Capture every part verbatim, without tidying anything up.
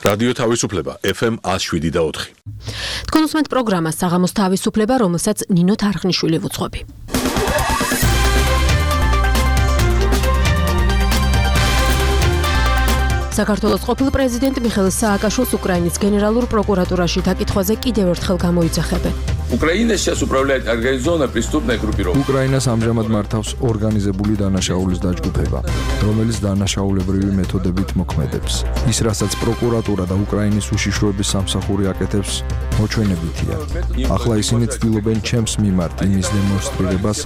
რადიო თავისუფლება ეფ ემ one oh seven და four. თქვენ უსმენთ პროგრამას საღამოს თავისუფლება, რომელსაც ნინო თარხნიშვილი ვუძღვები. საქართველოს ყოფილ პრეზიდენტ მიხეილ სააკაშვილს უკრაინის გენერალურ პროკურატურაში დაკითხვაზე კიდევ ერთხელ გამოიძახებენ. Украина сейчас управляет организованной преступной группировкой. უკრაინას ამჟამად მართავს ორგანიზებული დანაშაულის დაჯგუფება, რომელიც დანაშაულებრივი მეთოდებით მოქმედებს. ის, რასაც პროკურატურა და უკრაინის უშიშროების სამსახური აკეთებს, მოჩვენებითია. ახლა ისინი ცდილობენ ჩემს მიმართ იმის დემონსტრირებას,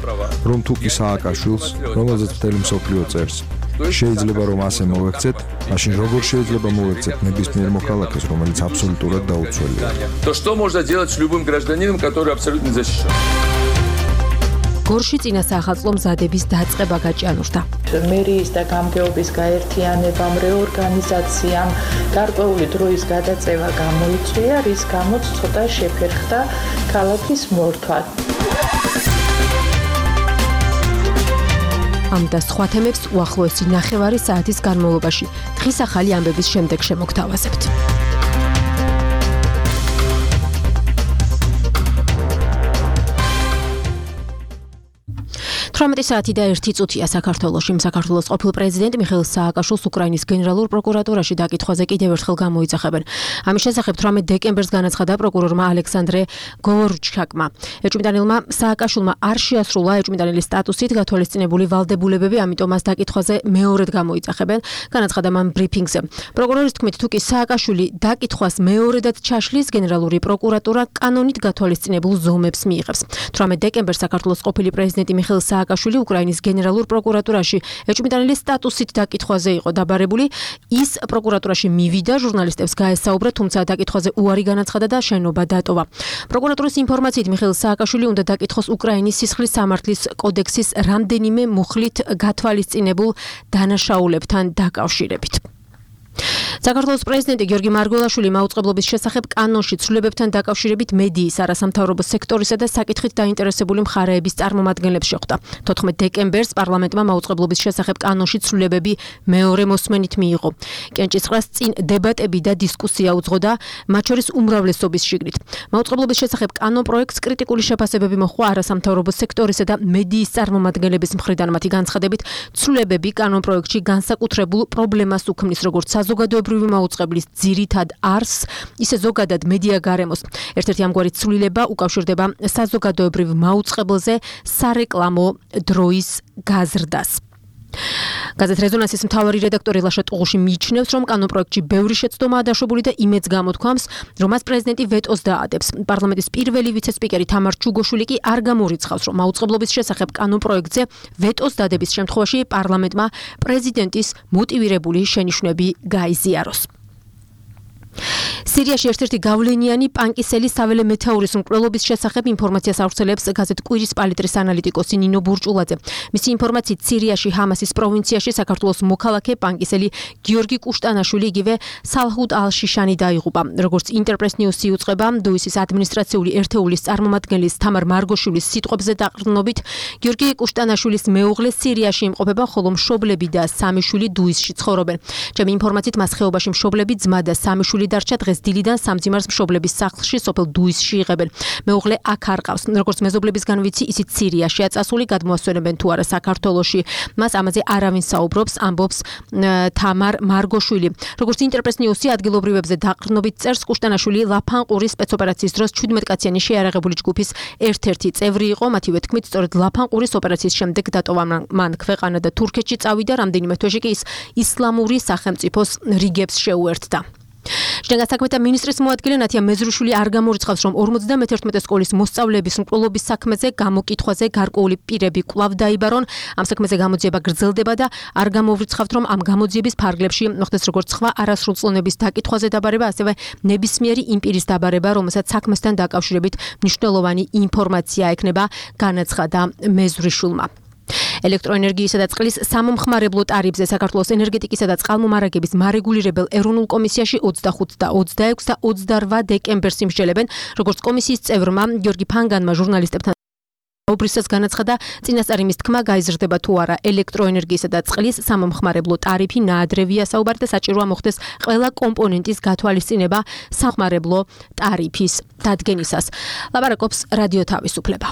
რომ თუ კი სააკაშვილს, რომელზეც მთელი მსოფლიო წერს, შეიძლება რომ ასე მოვექცეთ, მაშინ როგორ შეიძლება მოვექცეთ ნებისმიერ მოქალაქეს, რომელიც აბსოლუტურად დაუცველია. То что можно делать с любым гражданином, который абсолютно защищен? გორში წინა სახალხო მზადების დაწყება გაჭიანურდა. მერიის და გამგეობის გაერთიანებამ, რეორგანიზაციამ გარკვეული დროის გადაწევა გამოიწვია, რის გამოც ცოტა შეფერხდა ქალაქის მორთვა. ამ და სხვა თემებს უახლოესი ნახევარი საათის განმავლობაში დღის ახალი ამბების შემდეგ შემოგთავაზებთ. თვრამეტი საათი და ერთი წუთია საქართველოში. საქართველოს ყოფილ პრეზიდენტ მიხეილ სააკაშვილს უკრაინის გენერალურ პროკურატურაში დაკითხვაზე კიდევ ერთხელ გამოიძახებენ. ამის შესახებ თვრამეტ დეკემბერს განაცხადა პროკურორმა ალექსანდრე გოვორჩაკმა. ეჭვმიტანილმა სააკაშვილმა არ შეასრულა ეჭვმიტანილის სტატუსით გათვალისწინებული ვალდებულებები, ამიტომ მას დაკითხვაზე მეორედ გამოიძახებენ, განაცხადა მან ბრიფინგზე. პროკურორის თქმით, თუ კი სააკაშვილი დაკითხვას მეორედაც ჩაშლის, გენერალური პროკურატურა კანონით გათვალისწინებულ ზომებს მიიღებს. თვრამეტ დეკემბერს საქართველოს ყოფილი პრეზიდენტი მიხეილ სააკაშვილი უკრაინის გენერალურ პროკურატურაში ეჭვმიტანილის სტატუსით დაკითხვაზე იყო დაბარებული. ის პროკურატურაში მივიდა, ჟურნალისტებს გაესაუბრა, თუმცა დაკითხვაზე უარი განაცხადა და შენობა დატოვა. პროკურატურის ინფორმაციით მიხეილ სააკაშვილი უნდა დაკითხოს უკრაინის სისხლის სამართლის კოდექსის რამდენიმე მუხლით გათვალისწინებულ დანაშაულებთან დაკავშირებით. საქართველოს პრეზიდენტი გიორგი მარგველაშვილი მაუწყებლობის შესახებ კანონში ცვლილებებთან დაკავშირებით მედიის, არასამთავრობო სექტორისა და საკითხით დაინტერესებული მხარეების წარმომადგენლებს შეხვდა. თოთხმეტ დეკემბერს პარლამენტმა მაუწყებლობის შესახებ კანონში ცვლილებები მეორე მოსმენით მიიღო. კენჭისყრას წინ დებატები და დისკუსია უძღოდა, მათ შორის უმრავლესობის შიგნით. მაუწყებლობის შესახებ კანონ პროექტს კრიტიკული შეფასებები მოჰყვა არასამთავრობო სექტორისა და მედიის წარმომადგენლების მხრიდან. მათი განცხადებით, ცვლილებები კანონ პროექტში განსაკუთრებულ პრობლემას უქმნის, როგორც საზოგადოებრივი მაუწყებლის ძირითად არსს, ისე ზოგადად მედია გარემოს. ერთ-ერთი ამგვარი ცვლილება უკავშირდება საზოგადოებრივ მაუწყებელზე სარეკლამო დროის გაზრდას. გაზეთ რეზონანსის მთავარი რედაქტორი ლაშა ტუღუში მიიჩნევს, რომ კანონპროექტში ბევრი შეცდომაა დაშვებული და იმედს გამოთქვამს, რომ მას პრეზიდენტი ვეტოს დაადებს. პარლამენტის პირველი ვიცე-სპიკერი თამარ ჩუგოშვილი კი არ გამორიცხავს, რომ მაუწყებლობის შესახებ კანონპროექტზე ვეტოს დადების შემთხვევაში პარლამენტმა პრეზიდენტის მოტივირებული შენიშვნები გაიზიაროს. სირიაში ერთ-ერთი გავლენიანი პანკისელი საველე მეთაურის მკვლელობის შესახებ ინფორმაციას ავრცელებს გაზეთ კვირის პალიტრის ანალიტიკოსი ნინო ბურჭულაძე. მისი ინფორმაციით სირიაში ჰამასის პროვინციაში საქართველოს მოქალაქე პანკისელი გიორგი კუშტანაშვილი იგივე სალჰუდ ალ-შიშანი დაიღუპა. როგორც ინტერპრეს ნიუსი უწყება, დუისის ადმინისტრაციული ერთეულის წარმომადგენლის თამარ მარგოშვილის სიტყვებზე დაყრდნობით, გიორგი კუშტანაშვილის მეუღლე სირიაში იმყოფება, ხოლო მშობლები და სამი შვილი დუისში ცხოვრობენ. ჩემი ინფორმაციით მას ხეობაში მშობლები, ძმა და სამი შვილი დარჩა, დღეს დილიდან სამძიმარს მშობლების სახლში სოფელ დუისში იღებენ. მეუღლე აქ არ ყავს. როგორც მეზობლებისგან ვიცი, ისიც სირიაშია წასული, გადმოასვენებენ თუ არა საქართველოში. მას ამაზე არავინ საუბრობს, ამბობს თამარ მარგოშვილი. როგორც ინტერპრეს ნიუსი ადგილობრივებზე დაყრდნობით წერს, კუშტანაშვილი ლაფანყურის სპეცოპერაციის დროს ჩვიდმეტკაციანი შეიარაღებული ჯგუფის ერთ-ერთი წევრი იყო. მათივე თქმით, სწორედ ლაფანყურის ოპერაციის შემდეგ დატოვა მან ქვეყანა და თურქეთში წავიდა, რამდენიმე თვეში კი ის ისლამური სახელმწიფოს რიგებს შეუერთდა. შინაგან საქმეთა მინისტრის მოადგილე ნათია მეზრუშვილი არ გამორიცხავს, რომ ორმოცდამეთერთმეტე სკოლის მოსწავლეების მკვლელობის საქმეზე გამოკითხვაზე გარკვეული პირები კვლავ დაიბარონ. ამ საქმეზე გამოძიება გრძელდება და არ გამორიცხავთ, რომ ამ გამოძიების ფარგლებში მოხდეს როგორც სხვა არასრულწლოვნების დაკითხვაზე დაბარება, ასევე ნებისმიერი იმ პირის დაბარება, რომელსაც საქმესთან დაკავშირებით მნიშვნელოვანი ინფორმაცია ექნება, განაცხადა მეზრუშვილმა. ელექტროენერგიისა და წყლის სამომხმარებლო ტარიფზე საქართველოს ენერგეტიკისა და წყალმომარაგების მარეგულირებელ ეროვნულ კომისიაში ოცდახუთ და ოცდაექვსი და ოცდარვა დეკემბერს იმსჯელებენ, როგორც კომისიის წევრმა გიორგი ფანგანმა ჟურნალისტებთან ობრისაც განაცხადა, წინასწარი მის თქმა გაიზრდება თუ არა ელექტროენერგიისა და წყლის სამომხმარებლო ტარიფი ნაადრევია საუბარი და საჭიროა მოხდეს ყველა კომპონენტის გათვალისწინება სამომხმარებლო ტარიფის დადგენისას. ლაპარაკობს რადიო თავისუფლება.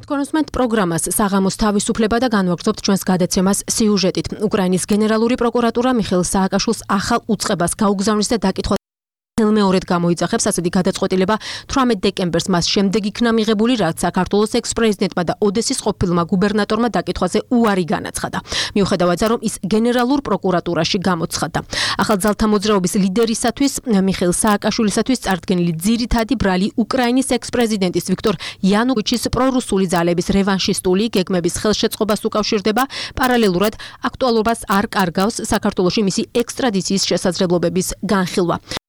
კონსუმენტ პროგრამას საღამოს თავისუფლება და განვაგრძობთ ჩვენს გადაცემას სიუჟეტით. უკრაინის გენერალური პროკურატურა მიხეილ სააკაშვილს ახალ უწყებას გაუგზავნის და დაკითხვა მეორედ გამოიძახებს ასეთი გადაწყვეტილება თვრამეტ დეკემბერს მას შემდეგ იქნა მიღებული, რაც საქართველოს ექს-პრეზიდენტმა და ოდესის ყოფილმა გუბერნატორმა დაკითხვაზე უარი განაცხადა. მიუხედავად ამისა, რომ ის გენერალურ პროკურატურაში გამოცხადდა. ახალ ძალთა მოძრაობის ლიდერისათვის მიხეილ სააკაშვილისათვის წარდგენილი ძირითადი ბრალი უკრაინის ექს-პრეზიდენტის ვიქტორ იანუკოვიჩის პრორუსული ძალების რევანშისტული გეგმების ხელშეწყობას უკავშირდება. პარალელურად აქტუალობას არ კარგავს საქართველოში მისი ექსტრადიციის შესაძლებლობების განხილვა.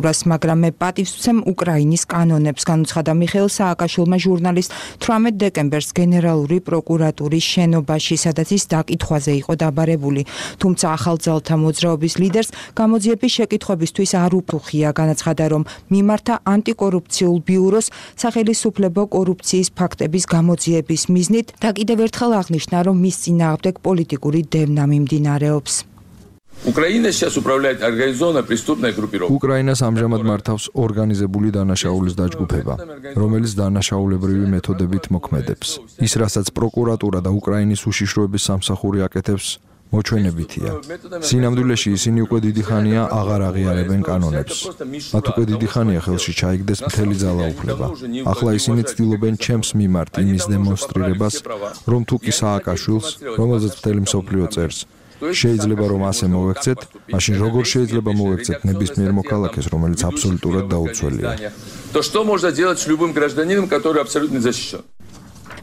მაგრამ მე პატივს ვცემ უკრაინის კანონებს, განუცხადა მიხეილ სააკაშვილმა ჟურნალისტ თვრამეტ დეკემბერს გენერალური პროკურატურის შენობაში, სადაც ის დაკითხვაზე იყო დაბარებული. თუმცა ახალ ძალთა მოძრაობის ლიდერს გამოძიების შეკითხვებისთვის არ უფუხია, განაცხადა, რომ მიმართა ანტიკორუფციულ ბიუროს სახელისუფლებო კორუფციის ფაქტების გამოძიების მიზნით და კიდევ ერთხელ აღნიშნა, რომ მის წინააღმდეგ პოლიტიკური დევნა მიმდინარეობს. Украина сейчас управляет организованная преступная группировка. უკრაინას ამჟამად მართავს ორგანიზებული დანაშაულის დაჯგუფება, რომელიც დანაშაულებრივი მეთოდებით მოქმედებს. ის, რასაც პროკურატურა და უკრაინის უშიშროების სამსახური აკეთებს, მოჩვენებითია. სინამდვილეში ისინი უკვე დიდი ხანია აღარ აღიარებენ კანონებს. მათ უკვე დიდი ხანია ხელში ჩაიგდეს მთელი ძალაუფლება. ახლა ისინი ცდილობენ ჩემს მიმართ იმის დემონსტრირებას, რომ თუ კი სააკაშვილს, რომელზეც მთელი მსოფლიო წერს, შეიძლება რომ ასე მოვექცეთ, მაშინ როგორ შეიძლება მოვექცეთ ნებისმიერ მოქალაქეს, რომელიც აბსოლუტურად დაუცველია. То что можно делать с любым гражданином, который абсолютно защищен?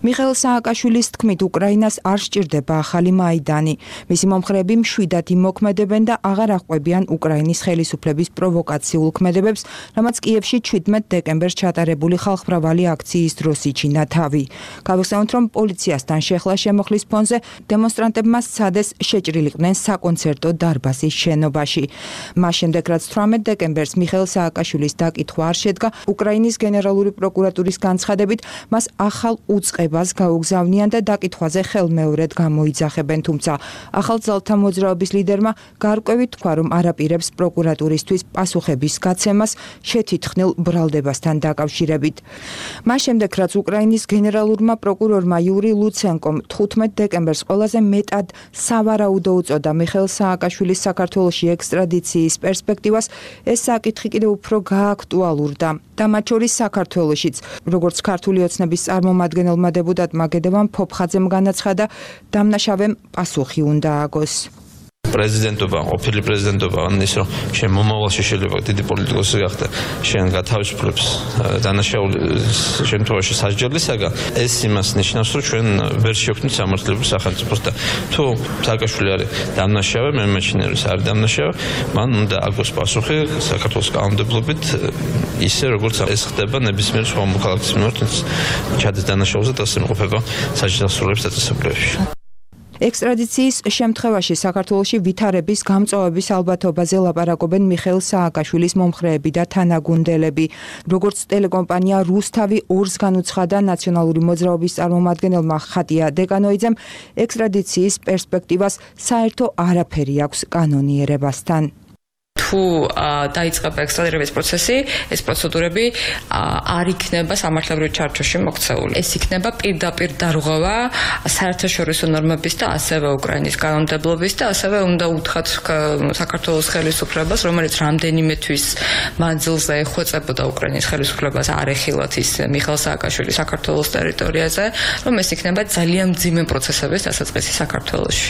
მიხეილ სააკაშვილის თქმით, უკრაინას არ სჭირდება ახალი მაიდანი. მისი მომხრეები მშვიდად იმოქმედებენ და აღარ აღყვებიან უკრაინის ხელისუფლების პროვოკაციულ ქმედებებს, რამაც კიევში ჩვიდმეტ დეკემბერს ჩატარებული ხალხმრავალი აქციის დროს იჩინა თავი. გავიხსენოთ, რომ პოლიციასთან შეხლა შემოხლის ფონზე დემონსტრანტებმა სცადეს შეჭრილიყვნენ საკონცერტო დარბაზის შენობაში. მას შემდეგ, რაც თვრამეტ დეკემბერს მიხეილ სააკაშვილის დაკითხვა არ შედგა, უკრაინის გენერალური პროკურატურის განცხადებით, მას ახალ უწყებას გაუგზავნიან და დაკითხვაზე ხელმეორედ გამოიძახებენ, თუმცა ახალ ძალთა მოძრაობის ლიდერმა გარკვევით თქვა, რომ არაპირებს პროკურატურისთვის პასუხების გაცემას შეთითხნილ ბრალდებასთან დაკავშირებით. მას შემდეგ, რაც უკრაინის გენერალურმა პროკურორმა იური ლუცენკომ თხუთმეტ დეკემბერს ყველაზე მეტად სავარაუდო უწოდა მიხეილ სააკაშვილის საქართველოში ექსტრადიციის პერსპექტივას, ეს საკითხი კიდევ უფრო გააქტუალურდა და მათ შორის საქართველოშიც, როგორც ქართული ოცნების წარმომადგენელმა დეპუტატმა გედევან ფოფხაძემ განაცხადა, დამნაშავემ პასუხი უნდა აგოს. პრეზიდენტობა, ყოფილი პრეზიდენტობა, ან ის რომ შენ მომავალში შეიძლება დიდი პოლიტიკოსი გახდე, შენ გათავისუფლებს დანაშაულის შემთხვევაში სასჯელისაგან, ეს იმას ნიშნავს, რომ ჩვენ ვერ შევქმნით სამართლებრივ სახელმწიფოს და თუ სააკაშვილი არის დამნაშავე, მე მეჩნია რომ არის დამნაშავე, მან უნდა აგოს პასუხი საქართველოს კანონმდებლობით, ისე როგორც ეს ხდება ნებისმიერ სხვა მოქალაქის მიმართ, ჩადის დანაშაულზე და ასე იმყოფება საჯელისუფლების დაწესებულებებში. ექსტრადიციის შემთხვევაში საქართველოში ვითარების გამწვავების ალბათობაზე ლაპარაკობენ მიხეილ სააკაშვილის მომხრეები და თანაგუნდელები. როგორც ტელეკომპანია რუსთავი ორს განუცხადა ნაციონალური მოძრაობის წარმომადგენელმა ხატია დეკანოიძემ, ექსტრადიციის პერსპექტივას საერთო არაფერი აქვს კანონიერებასთან. თუ დაიწყება ექსტრადირების პროცესი, ეს პროცედურები არ იქნება სამართლებრივ ჩარჩოში მოქცეული. ეს იქნება პირდაპირ დარღვევა საერთაშორისო ნორმების და ასევე უკრაინის კანონმდებლობის და ასევე უნდა უთხრათ საქართველოს ხელისუფლებას, რომელიც რამდენიმე თვის მანძილზე ეხვეწებოდა უკრაინის ხელისუფლებას არ ეხილათ ის მიხეილ სააკაშვილი საქართველოს ტერიტორიაზე, რომ ეს იქნება ძალიან მძიმე პროცესების დასაწყისი საქართველოში.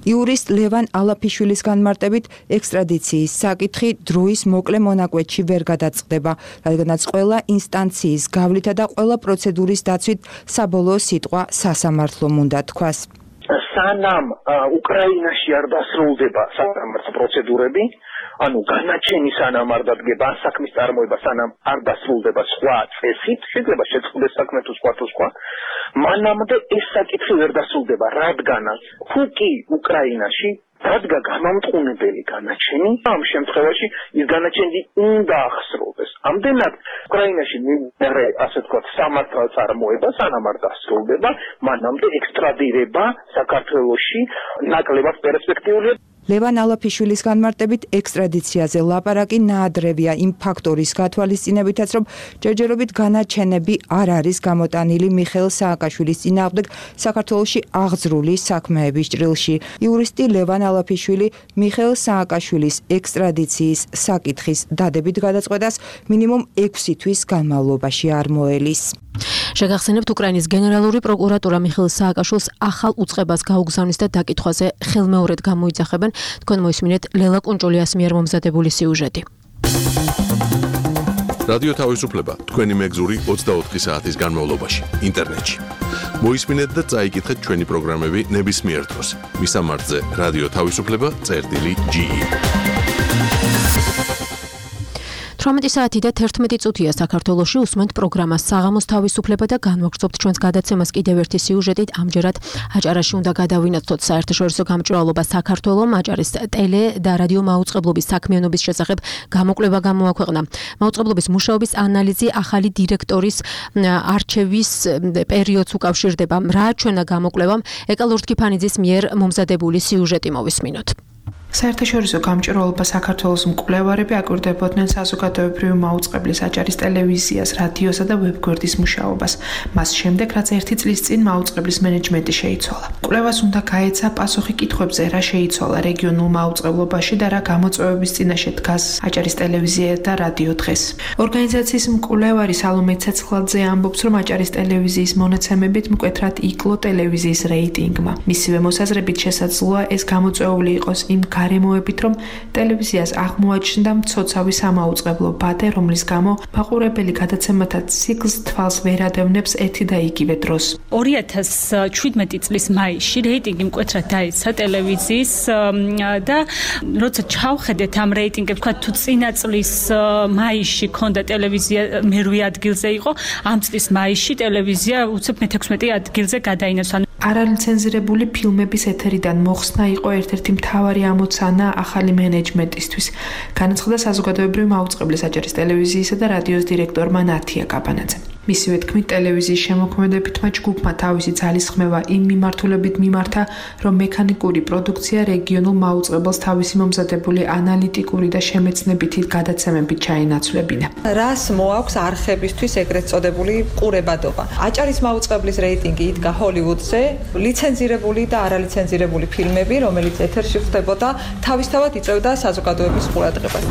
იურისტ ლევან ალაფიშვილის განმარტებით ექსტრადიციის საკითხი დროის მოკლე მონაკვეთში ვერ გადაწყდება, რადგანაც ყველა ინსტანციის გავლითა და ყველა პროცედურის დაცვით საბოლოო სიტყვა სასამართლომ უნდა თქვას. სანამ უკრაინაში არ დასრულდება სასამართლო პროცედურები, ანუ განაჩენი სანამ არ დადგება საქმის წარმოება, სანამ არ დასრულდება სხვა წესით, შეიძლება შეწყდეს საქმე თუ სხვა თუ სხვა, მანამდე ეს საკითხი ვერ დასრულდება, რადგანაც თუკი უკრაინაში დადგა გამამტყუნებელი განაჩენი, ამ შემთხვევაში ის განაჩენი უნდა ახსრობდეს. ამდენად უკრაინაში მივიღე, ასე ვთქვათ, სამართალ წარმოება, სანამ არ დასრულდება, მანამდე ექსტრადირება საქართველოში ნაკლებად პერსპექტიულია. ლევან ალაფიშვილის განმარტებით ექსტრადიციაზე ლაპარაკი ნაადრევია იმ ფაქტორის გათვალისწინებითაც, რომ ჯერჯერობით განაჩენები არ არის გამოტანილი მიხეილ სააკაშვილის წინააღმდეგ საქართველოში აღძრული საქმეების ჭრილში. იურისტი ლევან ალაფიშვილი მიხეილ სააკაშვილის ექსტრადიციის საკითხის დადებით გადაწყვეტას მინიმუმ ექვსი თვის განმავლობაში არ მოელის. შეგახსენებთ, უკრაინის გენერალური პროკურატურა მიხეილ სააკაშვილს ახალ უწყებას გაუგზავნის და დაკითხვაზე ხელმეორედ გამოიძახებენ. თქვენ მოისმინეთ ლელა კუნჭულიას მიერ მომზადებული სიუჟეტი. რადიო თავისუფლება თქვენი მეგზური ოცდაოთხი საათის განმავლობაში ინტერნეტში. მოისმინეთ და წაიკითხეთ ჩვენი პროგრამები ნებისმიერ დროს. მისამართზე რადიო თავისუფლება წერტილი ჯი. თვრამეტი საათი და თერთმეტი წუთია საქართველოში უსმენთ პროგრამას საღამოს თავისუფლება და განვაგრძობთ ჩვენს გადაცემას კიდევ ერთი სიუჟეტით. ამჯერად აჭარაში უნდა გადავინაცვლოთ საერთაშორისო გამჭვირვალობა საქართველომ. აჭარის ტელე და რადიო მაუწყებლობის საქმიანობის შესახებ გამოკვლევა გამოაქვეყნა. მაუწყებლობის მუშაობის ანალიზი ახალი დირექტორის არჩევის პერიოდს უკავშირდება. რა ჩვენა გამოკვლევამ ეკა ლორთქიფანიძის მიერ მომზადებული სიუჟეტი მოვისმინოთ. საერთაშორისო გამჭვირვალობა საქართველოს მკვლევარები აკვირდებოდნენ საზოგადოებრივი მაუწყებლის აჭარის ტელევიზიას, რადიოსა და ვებგვერდის მუშაობას. მას შემდეგ, რაც ერთი წლის წინ მაუწყებლის მენეჯმენტი შეიცვალა. კვლევას უნდა გაეცა პასუხი კითხვებზე, რა შეიცვალა რეგიონულ მაუწყებლობაში და რა გამოწვევების წინაშე დგას აჭარის ტელევიზია და რადიო დღეს. ორგანიზაციის მკვლევარი სალომე ცეცხლაძე ამბობს, რომ აჭარის ტელევიზიის მონაცემებით მკვეთრად იკლო ტელევიზიის რეიტინგმა. მისივე მოსაზრებით შესაძლოა ეს გამოწვეული იყოს იმ გარემოებით, რომ ტელევიზიას აღმოაჩნდა მცოცავი სამაუწყებლო ბადე, რომლის გამო მაყურებელი გადაცემათა ციკლს თვალს ვერ ადევნებს ერთი და იგივე დროს. ორი ათას შვიდმეტი წლის მაისში რეიტინგი მკვეთრად დაეცა ტელევიზიის და როცა ჩავხედეთ ამ რეიტინგებს, თქვა თუ წინა წლის მაისში ქონდა ტელევიზია მერვე ადგილზე იყო, ამ წლის მაისში ტელევიზია უცებ მეთექვსმეტე ადგილზე გადაინაცვლა. არალიცენზირებული ფილმების ეთერიდან მოხსნა იყო ერთ-ერთი მთავარი ამოცანა ახალი მენეჯმენტისთვის. განაცხადა საზოგადოებრივი მაუწყებლის აჭარის ტელევიზიისა და რადიოს დირექტორმა ნათია კაპანაძემ. მისივე თქმით, ტელევიზიის შემოქმედებითმა ჯგუფმა თავისი ძალისხმევა იმ მიმართულებით მიმართა, რომ მექანიკური პროდუქცია რეგიონულ მაუწყებელს თავისი მომზადებული ანალიტიკური და შემეცნებითი გადაცემებით ჩაენაცვლებინა. რას მოაქვს არხებისთვის ეგრეთ წოდებული ყურებადობა? აჭარის მაუწყებლის რეიტინგი იდგა ჰოლივუდზე, ლიცენზირებული და არალიცენზირებული ფილმები, რომელიც ეთერში ხდებოდა, თავისთავად იწევდა საზოგადოების ყურადღებას.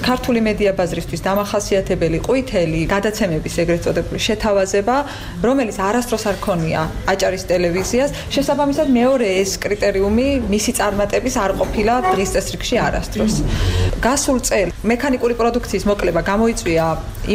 ქართული მედია ბაზრისთვის დამახასიათებელი ყვითელი გადაცემების ეგრეთ შეთავაზება, რომელიც არასდროს არ ქონია აჭარის ტელევიზიას, შესაბამისად მეორე ეს კრიტერიუმი მისი წარმატების არ ყოფილა დღის წესრიგში არასდროს. გასულ წელს მექანიკური პროდუქციის მოკლება გამოიწვია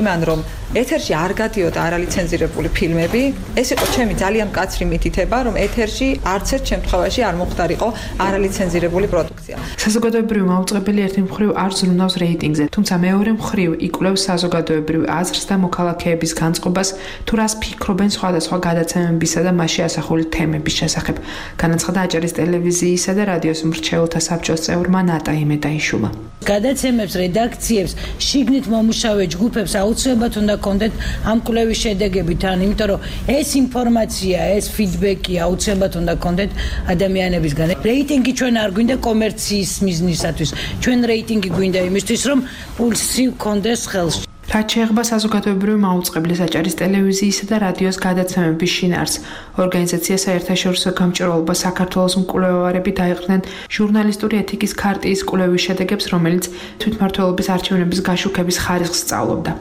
იმან, რომ ეთერში არ გადიოდა არალიცენზირებული ფილმები. ეს იყო ჩემი ძალიან მკაცრი მითითება, რომ ეთერში არც ერთ შემთხვევაში არ მოხდარიყო არალიცენზირებული პროდუქცია. საზოგადოებრივი მაუწყებელი ერთი მხრივ არ ზრუნავს რეიტინგზე, თუმცა მეორე მხრივ იკვლევს საზოგადოებრივ აზრს და მოქალაქეების განწყობას, თუ რას ფიქრობენ სხვადასხვა გადაცემებისა და მასში ასახული თემების შესახებ. განაცხადა აჭარის ტელევიზიისა და რადიოს მრჩეველთა საბჭოს წევრმა ნატა იმედაიშვილმა. გადაცემებს, რედაქციებს, შიგნით მომუშავე ჯგუფებს აუცილებლად უნდა კონდეთ ამ კვლევის შედეგებით, ან იმიტომ რომ ეს ინფორმაცია, ეს ფიდბექი აუცილებლად უნდა კონდეთ ადამიანებისგან. რეიტინგი ჩვენ არ გვინდა კომერციის მიზნისათვის. ჩვენ რეიტინგი გვინდა იმისთვის, რომ პულსი კონდეს ხელში. რაც შეეხება საზოგადოებრივი მაუწყებლის აჭარის ტელევიზიისა და რადიოს გადაცემების შინაარსს, ორგანიზაცია საერთაშორისო გამჭვირვალობა საქართველოს მკვლევარები დაიყრნენ ჟურნალისტური ეთიკის ქარტიის კვლევის შედეგებს, რომელიც თვითმმართველობის არჩევნების გაშუქების ხარისხს სწავლობდა.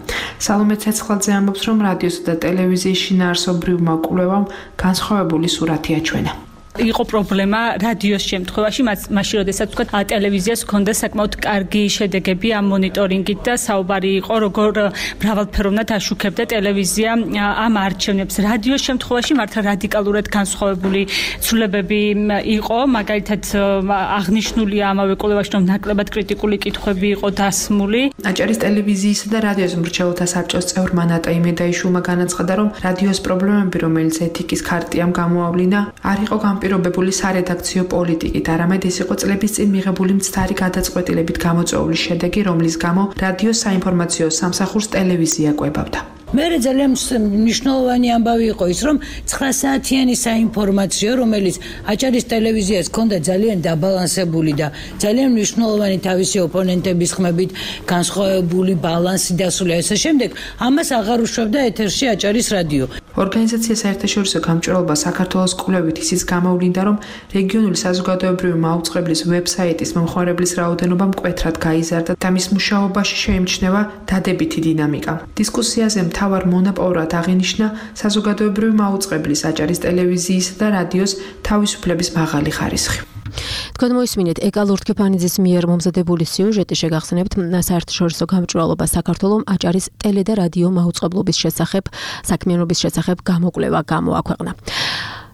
სალომე ცეცხლაძე ამბობს, რომ რადიოსა და ტელევიზიის შინაარსობრივმა კვლევამ განსხვავებული სურათი აჩვენა. იყო პრობლემა რადიოს შემთხვევაში, მაშინ როდესაც თქვა ტელევიზიას ჰქონდა საკმაოდ კარგი შედეგები ამ მონიტორინგით და საუბარი იყო როგორ მრავალფეროვნად აშუქებდა ტელევიზია ამ არჩევნებს. რადიოს შემთხვევაში მართლა რადიკალურად განსხვავებული ცვლილებები იყო, მაგალითად აღნიშნულია ამავე კვლევაში, რომ ნაკლებად კრიტიკული კითხვები იყო დასმული. აჭარის ტელევიზიისა და რადიოს მრჩეველთა საბჭოს წევრმა ნატა იმედაიშვილმა განაცხადა, რომ რადიოს პრობლემები, რომელიც ეთიკის ქარტიამ გამოავლინა, არ იყო განპირობებული სარედაქციო პოლიტიკით, არამედ ეს იყო წლების წინ მიღებული მცდარი გადაწყვეტილებით გამოწვეული შედეგი, რომლის გამო რადიოს საინფორმაციო სამსახურს ტელევიზია კვებავდა. მე ძალიან მნიშვნელოვანი ამბავი იყო ის, რომ ცხრა საათიანი საინფორმაციო, რომელიც აჭარის ტელევიზიას ჰქონდა ძალიან დაბალანსებული და ძალიან მნიშვნელოვანი თავისი ოპონენტების ხმებით განსხვავებული ბალანსი დასული ასე შემდეგ, ამას აღარ უშვებდა ეთერში აჭარის რადიო. ორგანიზაცია საერთაშორისო გამჭვირვალობა საქართველოს კვლევით ისიც გამოვლინდა, რომ რეგიონული საზოგადოებრივი მაუწყებლის ვებსაიტის მომხმარებლის რაოდენობა მკვეთრად გაიზარდა და მის მუშაობაში შეიმჩნევა დადებითი დინამიკა. დისკუსიაზე მთავარ მონაპოვრად აღინიშნა საზოგადოებრივი მაუწყებლის აჭარის ტელევიზიისა და რადიოს თავისუფლების მაღალი ხარისხი. თქვენ მოისმინეთ ეკა ლურთქეფანიძის მიერ მომზადებული სიუჟეტი, შეგახსენებთ საერთაშორისო გამჭვირვალობა საქართველოს აჭარის ტელე და რადიო მაუწყებლობის შესახებ საქმიანობის შესახებ გამოკვლევა გამოაქვეყნა.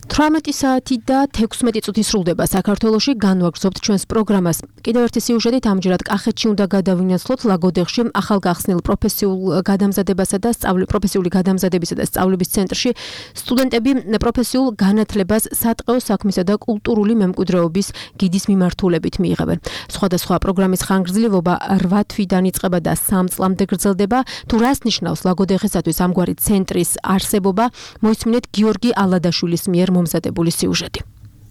თვრამეტი საათი და თექვსმეტი წუთი სრულდება საქართველოში, განვაგრძობთ ჩვენს პროგრამას. კიდევ ერთი სიუჟეტით ამჯერად კახეთში უნდა გადავინაცვლოთ ლაგოდეხში ახალგახსნილ პროფესიულ გადამზადებასა და სწავლი პროფესიული გადამზადებისა და სწავლების ცენტრში სტუდენტები პროფესიულ განათლებას სატყეო საქმისა და კულტურული მემკვიდრეობის გიდის მიმართულებით მიიღებენ. სხვადასხვა პროგრამის ხანგრძლივობა რვა თვიდან იწყება და სამ წლამდე გრძელდება. თუ რას ნიშნავს ლაგოდეხისათვის ამგვარი ცენტრის არსებობა, მოისმინეთ გიორგი ალადაშვილის მიერ მომზადებული სიუჟეტი.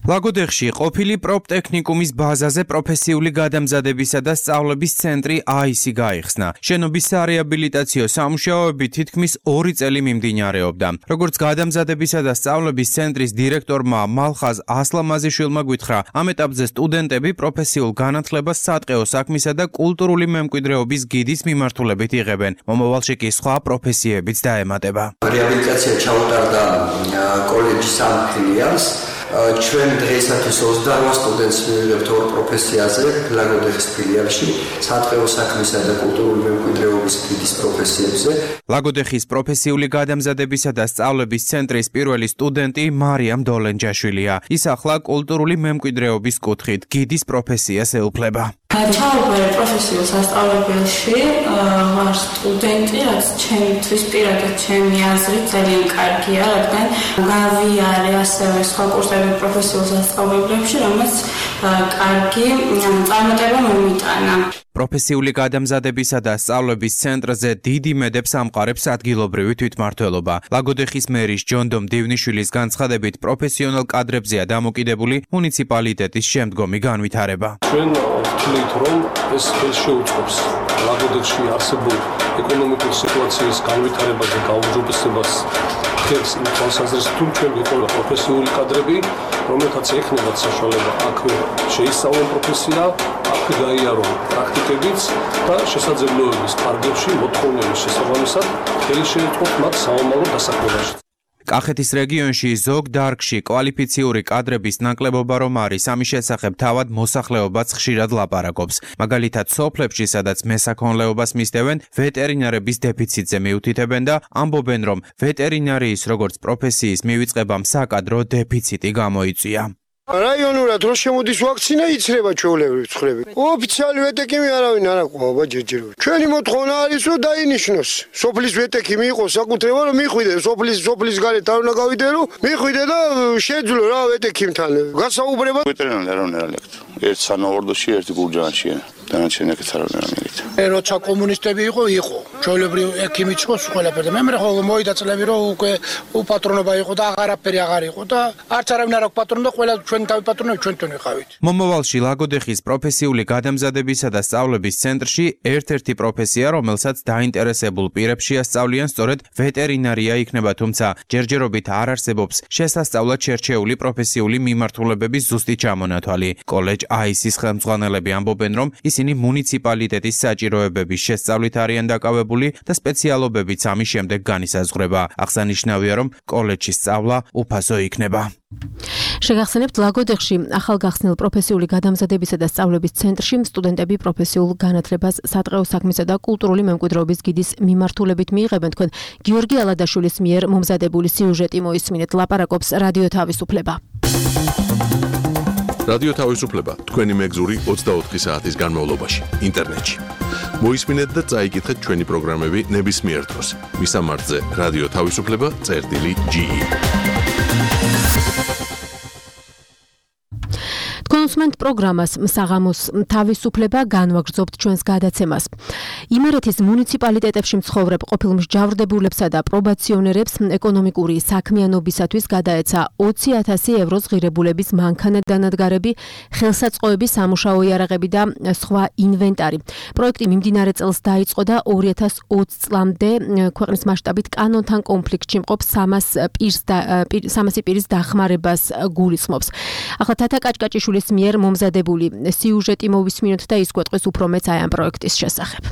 ლაგოდეხში ყოფილი პროპტექნიკუმის ბაზაზე პროფესიული გადამზადებისა და სწავლების ცენტრი აისი გაიხსნა. შენობის სარეაბილიტაციო სამუშაოები თითქმის ორი წელი მიმდინარეობდა. როგორც გადამზადებისა და სწავლების ცენტრის დირექტორმა მალხაზ ასლამაზიშვილმა გვითხრა, ამ ეტაპზე სტუდენტები პროფესიულ განათლებას სატყეო საქმისა და კულტურული მემკვიდრეობის გიდის მიმართულებით იღებენ. მომავალში კი სხვა პროფესიებიც დაემატება. რეაბილიტაცია ჩაუტარდა კოლეჯის ამ ფილიალს. ჩვენ დღეისათვის ოცდარვა სტუდენტს მივიღებთ ორ პროფესიაზე ლაგოდეხის ფილიალში, სატყეო საქმისა და კულტურული მემკვიდრეობის გიდის პროფესიებზე. ლაგოდეხის პროფესიული გადამზადებისა და სწავლების ცენტრის პირველი სტუდენტი მარიამ დოლენჯაშვილია. ის ახლა კულტურული მემკვიდრეობის კუთხით გიდის პროფესიას ეუფლება. ჩავაბარე პროფესიულ სასწავლებელში, ვარ სტუდენტი, რაც ჩემთვის პირადად ჩემი აზრით ძალიან კარგია, რადგან გავიარე ასევე სხვა კურსები პროფესიულ სასწავლებლებში, რომელიც კარგი წარმატება მომიტანა. პროფესიული გადამზადებისა და სწავლების ცენტრზე დიდი მედებს ამყარებს ადგილობრივი თვითმმართველობა. ლაგოდეხის მერის ჯონდომ დივნიშვილის განცხადებით, პროფესიონალ კადრებზეა დამოკიდებული მუნიციპალიტეტის შემდგომი განვითარება. ჩვენ ვთვლით, რომ ეს ხელს შეუწყობს ლაგოდეხში არსებულ ეკონომიკური სიტუაციის განვითარებაზე გაუმჯობესებას ხელს იმ თვალსაზრისით, თუ ჩვენ ვიყავით პროფესიული კადრები, რომელთაც ექნებათ საშუალება აქვე შეისწავლონ პროფესია, აქვე გაიარონ პრაქტიკებიც და შესაძლებლობების კარგებში მოთხოვნების შესაბამისად ხელი შეეწყოთ მათ საომალო დასაქმებაში. კახეთის რეგიონში ზოგ დარგში კვალიფიციური კადრების ნაკლებობა რომ არის, ამის შესახებ თავად მოსახლეობაც ხშირად ლაპარაკობს. მაგალითად, სოფლებში, სადაც მესაქონლეობას მისდევენ, ვეტერინარების დეფიციტზე მიუთითებენ და ამბობენ, რომ ვეტერინარიის როგორც პროფესიის მივიწყებამ საკადრო დეფიციტი გამოიწვია. რაიონურად რო შემოდის ვაქცინა, იცრება ჩვეულებრივ ცხრები. ოფიციალი ვეტეკიმი არავინ არ აყვავა ჯერჯერობით. ჩვენი მოთხოვნა არის, რომ დაინიშნოს. სოფლის ვეტეკიმი იყოს საკუთრება, რომ მიხვიდე სოფლის სოფლის გარეთ არ უნდა გავიდე, რომ მიხვიდე და შეძლო რა ვეტეკიმთან. გასაუბრება ვეტერინარი არავინ არ ელექტრო. ერთ სანავარდოში, ერთი გურჯაანშია. დანარჩენი აქეთ არავინ არ მივიდა. როცა კომუნისტები იყო, იყო. ჩვეულებრივ ექიმიც იყო ყველაფერი. მე მე ხო მოიდა წლები, რომ უკვე უპატრონობა იყო და აღარაფერი აღარ იყო და არც არავინ არ აქვს პატრონობა, ყველა ჩვენ თავი პატრონები ჩვენთან ვიყავით. მომავალში ლაგოდეხის პროფესიული გადამზადებისა და სწავლების ცენტრში ერთ-ერთი პროფესია, რომელსაც დაინტერესებულ პირებს შეასწავლიან სწორედ ვეტერინარია იქნება, თუმცა ჯერჯერობით არ არსებობს შესასწავლად შერჩეული პროფესიული მიმართულებების ზუსტი ჩამონათვალი. კოლეჯ აისის ხელმძღვანელები ამბობენ, რომ ისინი მუნიციპალიტეტის საჭიროებების შესწავლით არიან დაკავებული განვითარებული და სპეციალობებიც ამის შემდეგ განისაზღვრება. აღსანიშნავია, რომ კოლეჯში სწავლა უფასო იქნება. შეგახსენებთ, ლაგოდეხში ახალგახსნილ პროფესიული გადამზადებისა და სწავლების ცენტრში სტუდენტები პროფესიულ განათლებას სადღეო საქმისა და კულტურული მემკვიდრეობის გიდის მიმართულებით მიიღებენ. თქვენ გიორგი ალადაშვილის მიერ მომზადებული სიუჟეტი მოისმინეთ. ლაპარაკობს რადიო თავისუფლება. რადიო თავისუფლება თქვენი მეგზური ოცდაოთხი საათის განმავლობაში ინტერნეტში. მოისმინეთ და წაიკითხეთ ჩვენი პროგრამები ნებისმიერ დროს. მისამართზე რადიო თავისუფლება წერტილი ჯი. კონსუმენტ პროგრამას საღამოს თავისუფლება განვაგრძობთ ჩვენს გადაცემას. იმერეთის მუნიციპალიტეტებში მცხოვრებ ყოფილ მსჯავრდებულებსა და პრობაციონერებს ეკონომიკური საქმიანობისათვის გადაეცა ოცი ათასი ევროს ღირებულების მანქანა დანადგარები, ხელსაწყოები, სამუშაო იარაღები და სხვა ინვენტარი. პროექტი მიმდინარე წელს დაიწყო და ორი ათას ოცი წლამდე ქვეყნის მასშტაბით კანონთან კონფლიქტში მყოფ სამასი პირის დახმარებას გულისხმობს. ახლა თათა კაჭკაჭიშვილის მიერ მომზადებული სიუჟეტი მოვისმინოთ და ის გვეტყვის უფრო მეც აი ამ პროექტის შესახებ.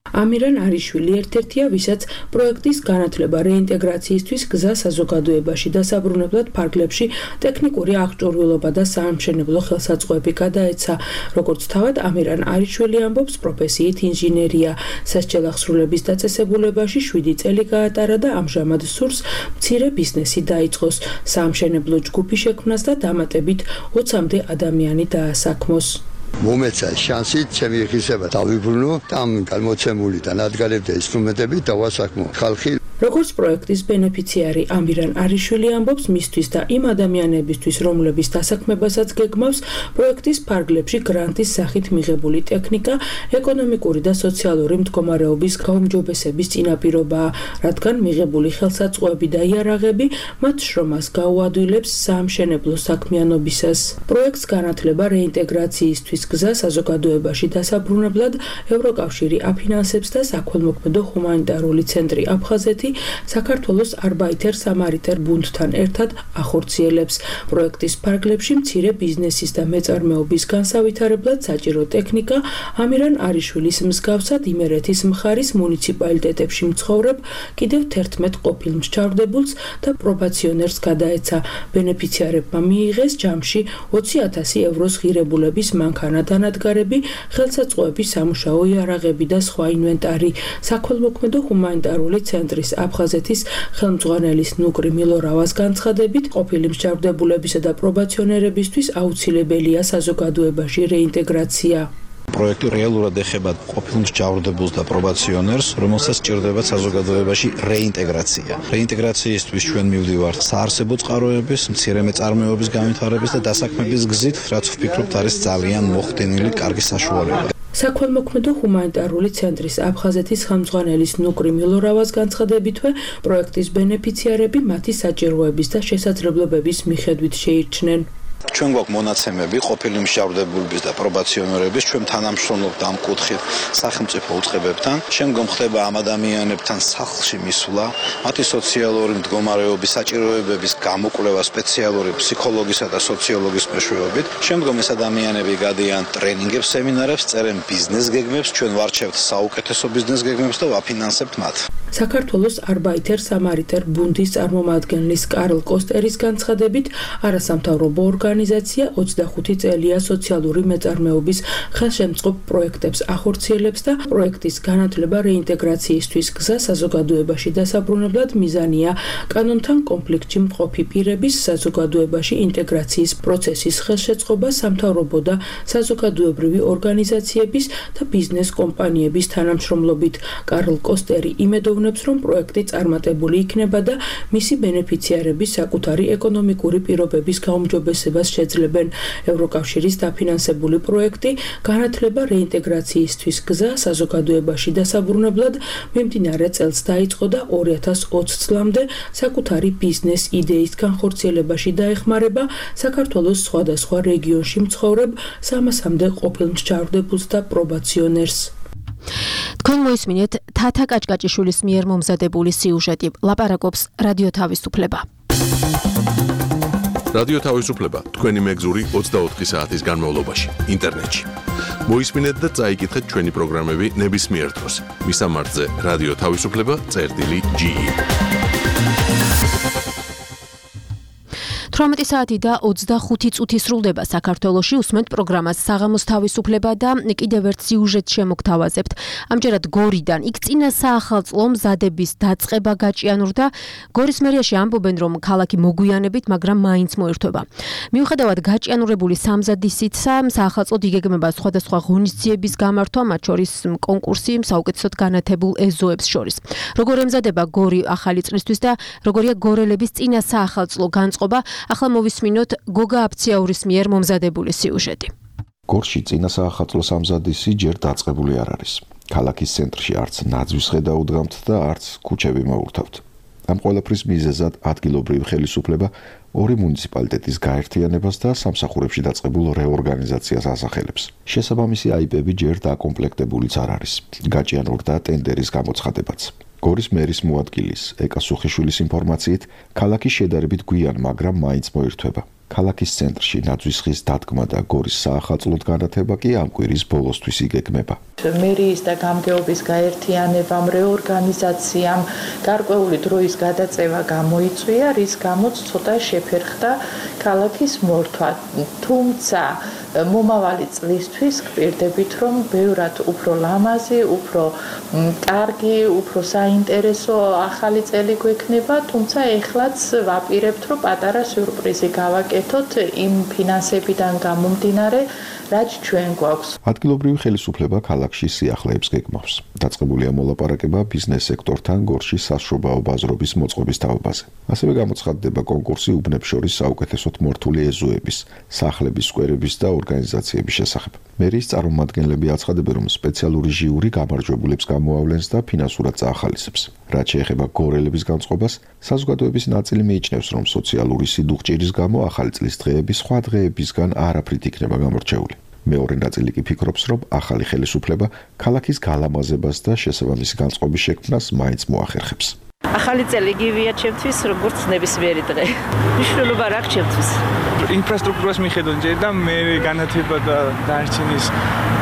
ამირან არიშვილი ერთ-ერთია, ვისაც პროექტის განათლება რეინტეგრაციისთვის გზა საზოგადოებაში დასაბრუნებლად ფარგლებში ტექნიკური აღჭურვილობა და საამშენებლო ხელსაწყოები გადაეცა. როგორც თავად ამირან არიშვილი ამბობს, პროფესიით ინჟინერია. სასჯელ აღსრულების დაწესებულებაში შვიდი წელი გაატარა და ამჟამად სურს მცირე ბიზნესი დაიწყოს, საამშენებლო ჯგუფი შექმნას და დამატებით ოცამდე ადამიანი დაასაქმოს. მომეცა შანსი ჩემი ღირსება დავიბრუნო და ამ გამოცემული და ნადგარებდა ინსტრუმენტები დავასაქმო ხალხი. როგორც პროექტის ბენეფიციარი ამირან არიშვილი ამბობს, მისთვის და იმ ადამიანებისთვის, რომლების დასაქმებასაც გეგმავს, პროექტის ფარგლებში გრანტის სახით მიღებული ტექნიკა ეკონომიკური და სოციალური მდგომარეობის გაუმჯობესების წინაპირობაა, რადგან მიღებული ხელსაწყოები და იარაღები მათ შრომას გაუადვილებს საამშენებლო საქმიანობისას. პროექტს განათლება რეინტეგრაციისთვის გზა საზოგადოებაში დასაბრუნებლად ევროკავშირი აფინანსებს და საქველმოქმედო ჰუმანიტარული ცენტრი აფხაზეთი საქართველოს არბაითერ სამარიტერ ბუნდთან ერთად ახორციელებს. პროექტის ფარგლებში მცირე ბიზნესის და მეწარმეობის განსავითარებლად საჭირო ტექნიკა ამირან არიშვილის მსგავსად იმერეთის მხარის მუნიციპალიტეტებში მცხოვრებ კიდევ თერთმეტ ყოფილ მსჯავრდებულს და პრობაციონერს გადაეცა. ბენეფიციარებმა მიიღეს ჯამში ოცი ათასი ევროს ღირებულების მანქანა დანადგარები, ხელსაწყოები, სამუშაო იარაღები და სხვა ინვენტარი. საქველმოქმედო ჰუმანიტარული ცენტრის აფხაზეთის ხელმძღვანელის ნუკრი მილორავას განცხადებით, ყოფილი მსჯავრდებულებისა და პრობაციონერებისთვის აუცილებელია საზოგადოებაში რეინტეგრაცია. პროექტი რეალურად ეხება ყოფილ მსჯავრდებულს და პრობაციონერს, რომელსაც სჭირდება საზოგადოებაში რეინტეგრაცია. რეინტეგრაციისთვის ჩვენ მივდივართ საარსებო წყაროების, მცირე მეწარმეობის განვითარების და დასაქმების გზით, რაც ვფიქრობთ არის ძალიან მოხდენილი კარგი საშუალება. საქველმოქმედო ჰუმანიტარული ცენტრის აფხაზეთის ხელმძღვანელის ნუკრი მილორავას განცხადებითვე, პროექტის ბენეფიციარები მათი საჭიროების და შესაძლებლობების მიხედვით შეირჩნენ. ჩვენ გვაქვს მონაცემები ყოფილი მსჯავრდებულების და პრობაციონერების, ჩვენ თანამშრომლობთ ამ კუთხით სახელმწიფო უწყებებთან. შემდგომ ხდება ამ ადამიანებთან სახლში მისვლა, მათი სოციალური მდგომარეობის საჭიროებების გამოკვლევა სპეციალური ფსიქოლოგისა და სოციოლოგის მეშვეობით. შემდგომ ეს ადამიანები გადიან ტრენინგებს, სემინარებს, წერენ ბიზნეს გეგმებს, ჩვენ ვარჩევთ საუკეთესო ბიზნეს გეგმებს და ვაფინანსებთ მათ. საქართველოს არბაითერ სამარიტერ ბუნდის წარმომადგენლის კარლ კოსტერის განცხადებით, არასამთავრობო ორგანიზაცია ოცდახუთი წელია სოციალური მეწარმეობის ხელშემწყობ პროექტებს ახორციელებს და პროექტის განათლება რეინტეგრაციისთვის გზა საზოგადოებაში დასაბრუნებლად მიზანია კანონთან კონფლიქტში მყოფი პირების საზოგადოებაში ინტეგრაციის პროცესის ხელშეწყობა სამთავრობო და საზოგადოებრივი ორგანიზაციების და ბიზნეს კომპანიების თანამშრომლობით. კარლ კოსტერი იმედოვნებს, რომ პროექტი წარმატებული იქნება და მისი ბენეფიციარები საკუთარი ეკონომიკური პირობების გაუმჯობესებას შეძლებენ. ევროკავშირის დაფინანსებული პროექტი განათლება რეინტეგრაციისთვის გზა საზოგადოებაში დასაბრუნებლად მიმდინარე წელს დაიწყო და ორი ათას ოცი წლამდე საკუთარი ბიზნეს იდეის განხორციელებაში დაეხმარება საქართველოს სხვადასხვა რეგიონში მცხოვრებ სამასამდე ყოფილ მსჯავრდებულს და პრობაციონერს. თქვენ მოისმინეთ თათა კაჭკაჭიშვილის მიერ მომზადებული სიუჟეტი. ლაპარაკობს რადიო თავისუფლება. რადიო თავისუფლება თქვენი მეგზური ოცდაოთხი საათის განმავლობაში ინტერნეტში. მოისმინეთ და წაიკითხეთ ჩვენი პროგრამები ნებისმიერ დროს. მისამართზე რადიო თავისუფლება წერტილი ჯი. თვრამეტი საათი და ოცდახუთი წუთი სრულდება საქართველოში. უსმენთ პროგრამას საღამოს თავისუფლება და კიდევ ერთ სიუჟეტს შემოგთავაზებთ. ამჯერად გორიდან იქ წინა საახალწლო მზადების დაწყება გაჭიანურდა. გორის მერიაში ამბობენ, რომ ქალაქი მოგვიანებით, მაგრამ მაინც მოირთვება. მიუხედავად გაჭიანურებული სამზადისისა, საახალწლოდ იგეგმება სხვადასხვა ღონისძიების გამართვა, მათ შორის კონკურსი საუკეთესოდ განათებულ ეზოებს შორის. როგორ ემზადება გორი ახალი წლისთვის და როგორია გორელების წინა საახალწლო განწყობა? ახლა მოვისმინოთ გოგა აფციაურის მიერ მომზადებული სიუჟეტი. გორში წინა საახალწლო სამზადისი ჯერ დაწყებული არ არის. ქალაქის ცენტრში არც ნაძვის ხედა უდგამთ და არც ქუჩები მოურთავთ. ამ ყველაფრის მიზეზად ადგილობრივი ხელისუფლება ორი მუნიციპალიტეტის გაერთიანებას და სამსახურებში დაწყებულ რეორგანიზაციას ასახელებს. შესაბამისი აიპები ჯერ დაკომპლექტებულიც არ არის. გაჭიანურდა ტენდერის გამოცხადებაც. გორის მერის მოადგილის ეკა სუხიშვილის ინფორმაციით, ქალაქი შედარებით გვიან, მაგრამ მაინც მოირთვება. ქალაქის ცენტრში ნაძვის ხის დადგმა და გორის საახალწლოდ განათება კი ამ კვირის ბოლოსთვის იგეგმება. მერიის და გამგეობის გაერთიანებამ, რეორგანიზაციამ გარკვეული დროის გადაწევა გამოიწვია, რის გამოც ცოტა შეფერხდა ქალაქის მორთვა. თუმცა მომავალი წლისთვის გვპირდებით, რომ ბევრად უფრო ლამაზი, უფრო კარგი, უფრო საინტერესო ახალი წელი გვექნება, თუმცა ეხლაც ვაპირებთ, რომ პატარა სიურპრიზი გავაკეთოთ იმ ფინანსებიდან გამომდინარე, რაც ჩვენ გვაქვს. ადგილობრივი ხელისუფლება ქალაქში სიახლეებს გეგმავს. დაწყებულია მოლაპარაკება ბიზნეს სექტორთან გორში საშრობაო ბაზრობის მოწყობის თაობაზე. ასევე გამოცხადდება კონკურსი უბნებს შორის საუკეთესოდ მორთული ეზოების, სახლების, სკვერების და ორგანიზაციების შესახებ. მერიის წარმომადგენლები აცხადებენ, რომ სპეციალური ჟიური გამარჯვებულებს გამოავლენს და ფინანსურად წაახალისებს. რაც შეეხება გორელების განწყობას, საზოგადოების ნაწილი მიიჩნევს, რომ სოციალური სიდუხჭირის გამო ახალი წლის დღეები სხვა დღეებისგან არაფრით იქნება გამორჩეული. მეორე ნაწილი კი ფიქრობს, რომ ახალი ხელისუფლება ქალაქის გალამაზებას და შესაბამისი განწყობის შექმნას მაინც მოახერხებს. ახალი წელი გივია ჩემთვის, როგორც ნებისმიერი დღე. მნიშვნელობა რა აქვს ჩემთვის? ინფრასტრუქტურას მიხედვით ჯერ და მე განათება და დარჩენის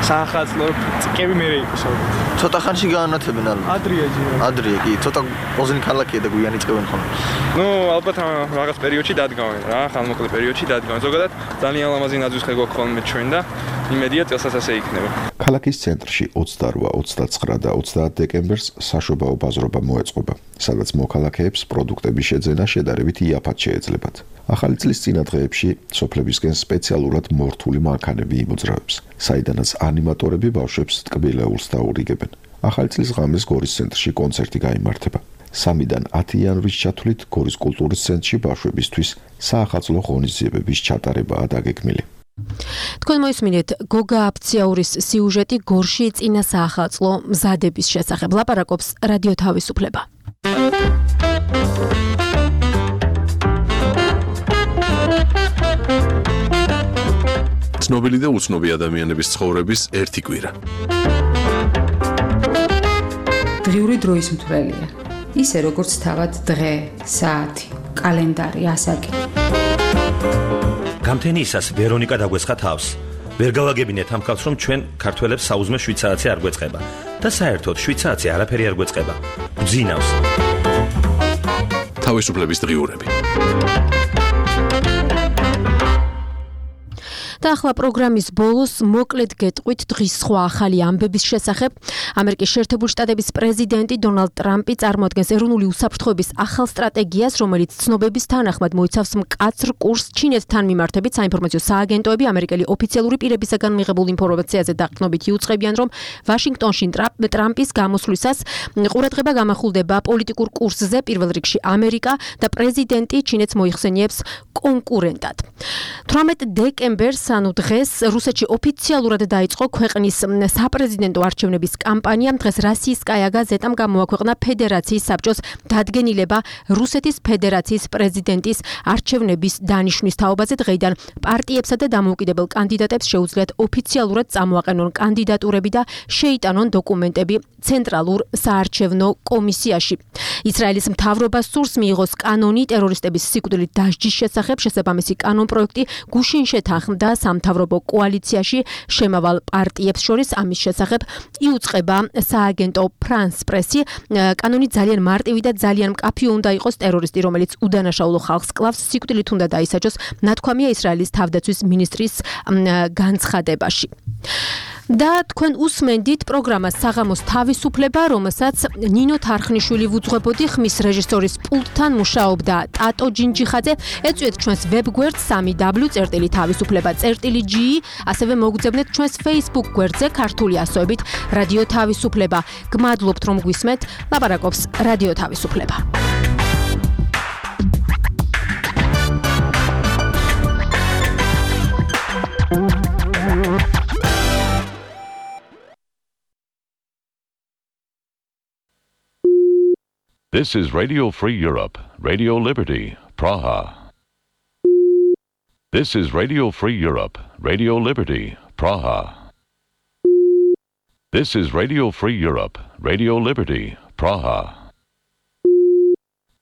საახალწლო წკები მე იყოს. ცოტა ხანში განათებენ ალბათ. ადრია ჯერ. ადრია კი, ცოტა პოზინი ქალაქია და გვიანი წევენ ხოლმე. ნუ ალბათ რაღაც პერიოდში დადგავენ რა, ხანმოკლე პერიოდში დადგავენ. ზოგადად ძალიან ლამაზი ნაძვის ხე გვაქვს ხოლმე ჩვენ და იმედია წელსაც ასე იქნება. ქალაქის ცენტრში ოცდარვა, ოცდაცხრა და ოცდაათ დეკემბერს საშობაო ბაზრობა მოეწყობა, სადაც მოქალაქეებს პროდუქტების შეძენა შედარებით იაფად შეეძლებათ. ახალი წლის წინა დღეებში სოფლებისკენ სპეციალურად მორთული მანქანები იმოძრავებს, საიდანაც ანიმატორები ბავშვებს ტკბილეულს დაურიგებენ. ახალი წლის ღამეს გორის ცენტრში კონცერტი გაიმართება. სამიდან ათი იანვრის ჩათვლით გორის კულტურის ცენტრში ბავშვებისთვის საახალწლო ღონისძიებების ჩატარებაა დაგეგმილი. თქვენ მოისმინეთ გოგა აფციაურის სიუჟეტი გორში წინა საახალწლო მზადების შესახებ. ლაპარაკობს რადიო თავისუფლება. ცნობილი და უცნობი ადამიანების ცხოვრების ერთი კვირა. დღიური დროის მთვრელია. ისე როგორც თავად დღე, საათი, კალენდარი, ასაკი. გამთენიისას ვერონიკა დაგვესხა თავს. ვერ გავაგებინეთ ამ ხალხს, რომ ჩვენ ქართველებს საუზმე შვიდ საათზე არ გვეწყება და საერთოდ შვიდ საათზე არაფერი არ გვეწყება. გძინავს. თავისუფლების დღიურები. და ახლა პროგრამის ბოლოს მოკლედ გეტყვით დღის სხვა ახალი ამბების შესახებ. ამერიკის შეერთებული შტატების პრეზიდენტი დონალდ ტრამპი წარმოადგენს ეროვნული უსაფრთხოების ახალ სტრატეგიას, რომელიც ცნობების თანახმად მოიცავს მკაცრ კურსს ჩინეთთან მიმართებით. საინფორმაციო სააგენტოები ამერიკელი ოფიციალური პირებისაგან მიღებულ ინფორმაციაზე დაყრდნობით იუწყებიან, რომ ვაშინგტონში ტრამპის გამოსვლისას ყურადღება გამახვილდება პოლიტიკურ კურსზე, პირველ რიგში ამერიკა და პრეზიდენტი ჩინეთს მოიხსენიებს კონკურენტად. თვრამეტ დეკემბერს ანუ დღეს რუსეთში ოფიციალურად დაიწყო ქვეყნის საპრეზიდენტო არჩევნების კამპანია. დღეს რასიისკაია გაზეტამ გამოაქვეყნა ფედერაციის საბჭოს დადგენილება რუსეთის ფედერაციის პრეზიდენტის არჩევნების დანიშვნის თაობაზე. დღეიდან პარტიებსა და დამოუკიდებელ კანდიდატებს შეუძლიათ ოფიციალურად წამოაყენონ კანდიდატურები და შეიტანონ დოკუმენტები ცენტრალურ საარჩევნო კომისიაში. ისრაელის მთავრობას სურს მიიღოს კანონი ტერორისტების სიკვდილით დასჯის შესახებ. შესაბამისი კანონ პროექტი გუშინ შეთანხმდა სამთავრობო კოალიციაში შემავალ პარტიებს შორის. ამის შესახებ იუწყება სააგენტო France Press-ი. კანონი ძალიან მარტივი და ძალიან მკაფიო უნდა იყოს. ტერორისტი, რომელიც უდანაშაულო ხალხს კლავს, სიკვდილით უნდა დაისაჯოს. ნათქვამია ისრაელის თავდაცვის მინისტრის განცხადებაში. და თქვენ უსმენდით პროგრამას საღამოს თავისუფლება, რომელსაც ნინო თარხნიშვილი ვუძღვებოდი, ხმის რეჟისორის პულტთან მუშაობდა ტატო ჯინჯიხაძე. ეწვიეთ ჩვენს ვებგვერდს სამი დაბლიუ წერტილი თავისუფლება წერტილი ჯი, ასევე მოგძებნეთ ჩვენს Facebook გვერდზე ქართული ასოებით რადიო თავისუფლება. გმადლობთ რომ გვისმენთ. ლაპარაკობს რადიო თავისუფლება. This is Radio Free Europe, Radio Liberty, Praha. This is Radio Free Europe, Radio Liberty, Praha. This is Radio Free Europe, Radio Liberty, Praha.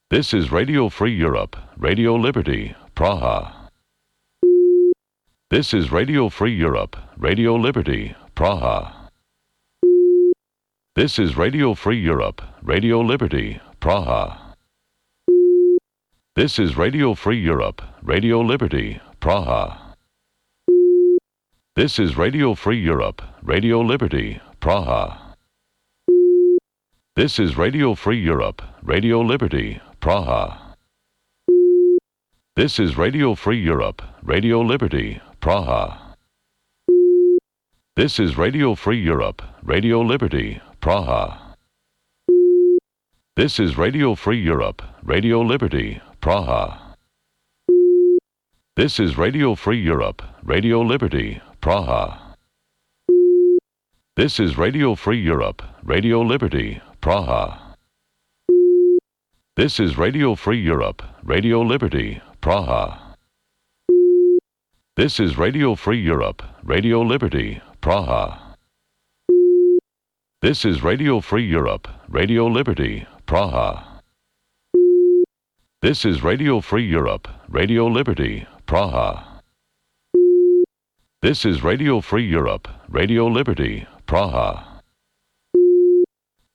This is Radio Free Europe, Radio Liberty, Praha. This is Radio Free Europe, Radio Liberty, Praha. This is Radio Free Europe, Radio Liberty, Praha. This is Radio Free Europe, Radio Liberty, Praha. This is Radio Free Europe, Radio Liberty, Praha. This is Radio Free Europe, Radio Liberty, Praha. This is Radio Free Europe, Radio Liberty, Praha. This is Radio Free Europe, Radio Liberty, Praha. This is Radio Free Europe, Radio Liberty, Praha. This is Radio Free Europe, Radio Liberty, Praha. This is Radio Free Europe, Radio Liberty, Praha. This is Radio Free Europe, Radio Liberty, Praha. This is Radio Free Europe, Radio Liberty, Praha. This is Radio Free Europe, Radio Liberty, Praha. This is Radio Free Europe, Radio Liberty, Praha. This is Radio Free Europe, Radio Liberty, Praha.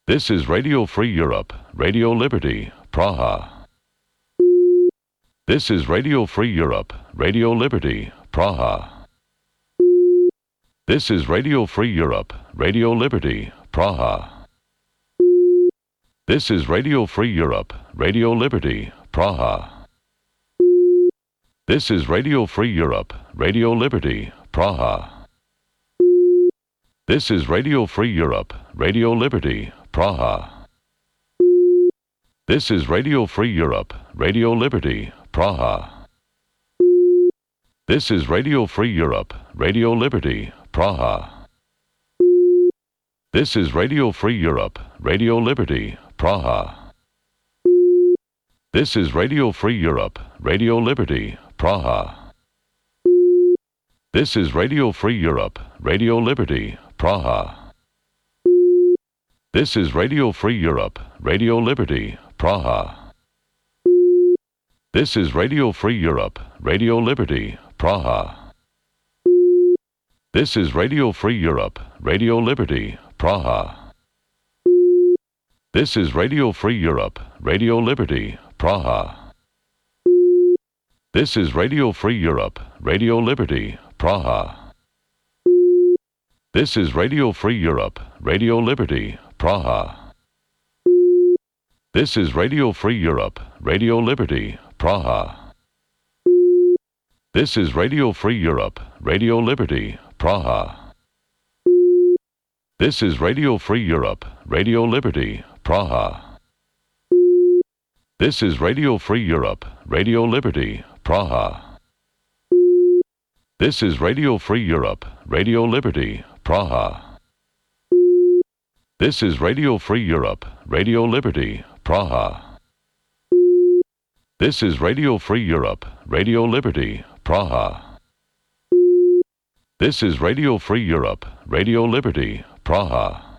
This is Radio Free Europe, Radio Liberty, Praha. This is Radio Free Europe, Radio Liberty, Praha. This is Radio Free Europe, Radio Liberty, Praha. This is Radio Free Europe, Radio Liberty, Praha. This is Radio Free Europe, Radio Liberty, Praha. This is Radio Free Europe, Radio Liberty, Praha. This is Radio Free Europe, Radio Liberty, Praha. This is Radio Free Europe, Radio Liberty, Praha. This is Radio Free Europe, Radio Liberty, Praha. This is Radio Free Europe, Radio Liberty, Praha. This is Radio Free Europe, Radio Liberty, Praha. This is Radio Free Europe, Radio Liberty, Praha. This is Radio Free Europe, Radio Liberty, Praha. This is Radio Free Europe, Radio Liberty, Praha. This is Radio Free Europe, Radio Liberty, Praha. This is Radio Free Europe, Radio Liberty, Praha. This is Radio Free Europe, Radio Liberty, Praha. This is Radio Free Europe, Radio Liberty, Praha. This is Radio Free Europe, Radio Liberty, Praha. This is Radio Free Europe, Radio Liberty, Praha. This is Radio Free Europe, Radio Liberty, Praha. This is Radio Free Europe, Radio Liberty, Praha. This is Radio Free Europe, Radio Liberty, Praha. This is Radio Free Europe, Radio Liberty, Praha. This is Radio Free Europe, Radio Liberty, Praha.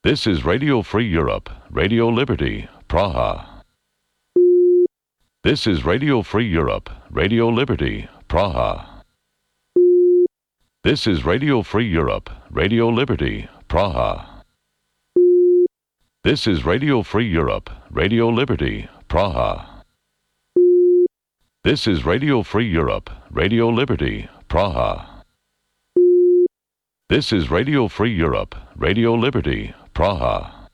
This is Radio Free Europe, Radio Liberty, Praha. This is Radio Free Europe, Radio Liberty, Praha. This is Radio Free Europe, Radio Liberty, Praha. This is Radio Free Europe, Radio Liberty, Praha. This is Radio Free Europe, Radio Liberty, Praha. This is Radio Free Europe, Radio Liberty, Praha.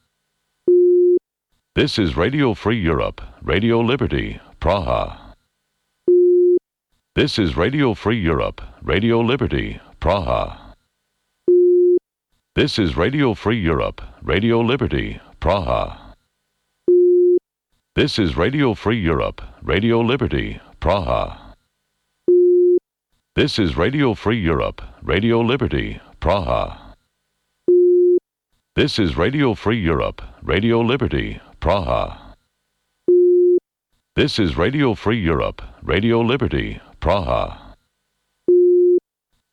This is Radio Free Europe, Radio Liberty, Praha. This is Radio Free Europe, Radio Liberty, Praha. This is Radio Free Europe, Radio Liberty, Praha. This is Radio Free Europe, Radio Liberty, Praha. This is Radio Free Europe, Radio Liberty, Praha. This is Radio Free Europe, Radio Liberty, Praha. This is Radio Free Europe, Radio Liberty, Praha.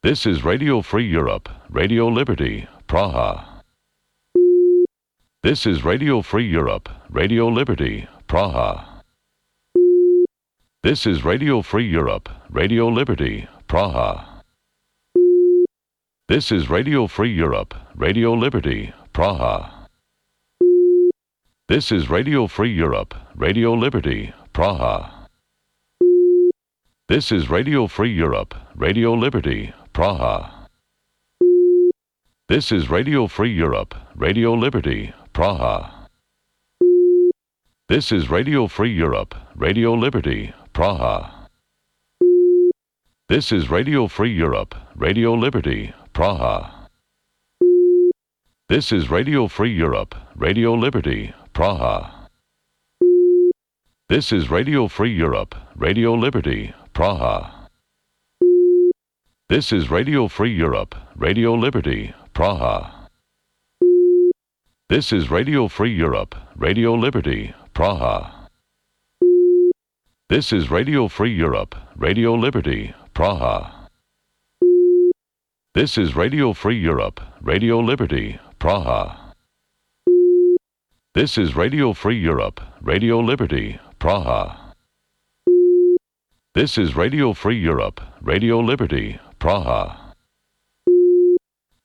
This is Radio Free Europe, Radio Liberty, Praha. This is Radio Free Europe, Radio Liberty, Praha. This is Radio Free Europe, Radio Liberty, Praha. This is Radio Free Europe, Radio Liberty, Praha. This is Radio Free Europe, Radio Liberty, Praha. This is Radio Free Europe, Radio Liberty, Praha. This is Radio Free Europe, Radio Liberty, Praha. This is Radio Free Europe, Radio Liberty, Praha. This is Radio Free Europe, Radio Liberty, Praha. This is Radio Free Europe, Radio Liberty, Praha. This is Radio Free Europe, Radio Liberty, Praha. This is Radio Free Europe, Radio Liberty, Praha. This is Radio Free Europe, Radio Liberty, Praha. This is Radio Free Europe, Radio Liberty, Praha. This is Radio Free Europe, Radio Liberty, Praha. This is Radio Free Europe, Radio Liberty, Praha. This is Radio Free Europe, Radio Liberty, Praha.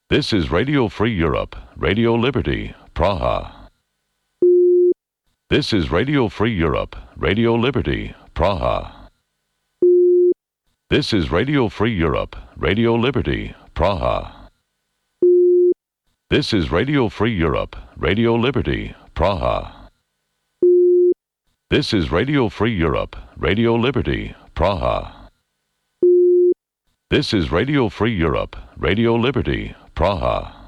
This is Radio Free Europe, Radio Liberty, Praha. This is Radio Free Europe, Radio Liberty, Praha. This is Radio Free Europe, Radio Liberty, Praha. This is Radio Free Europe, Radio Liberty, Praha. This is Radio Free Europe, Radio Liberty, Praha. This is Radio Free Europe, Radio Liberty, Praha.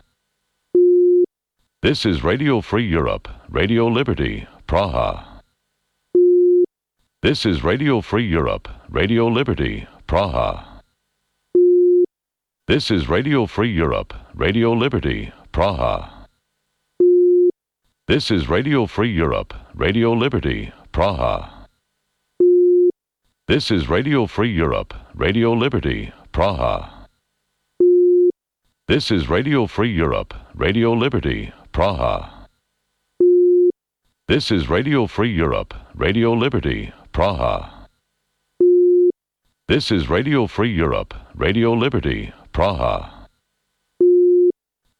This is Radio Free Europe, Radio Liberty, Praha. This is Radio Free Europe, Radio Liberty, Praha. This is Radio Free Europe, Radio Liberty, Praha. This is Radio Free Europe, Radio Liberty, Praha. This is Radio Free Europe, Radio Liberty, Praha. This is Radio Free Europe, Radio Liberty, Praha. This is Radio Free Europe, Radio Liberty, Praha. This is Radio Free Europe, Radio Liberty, Praha.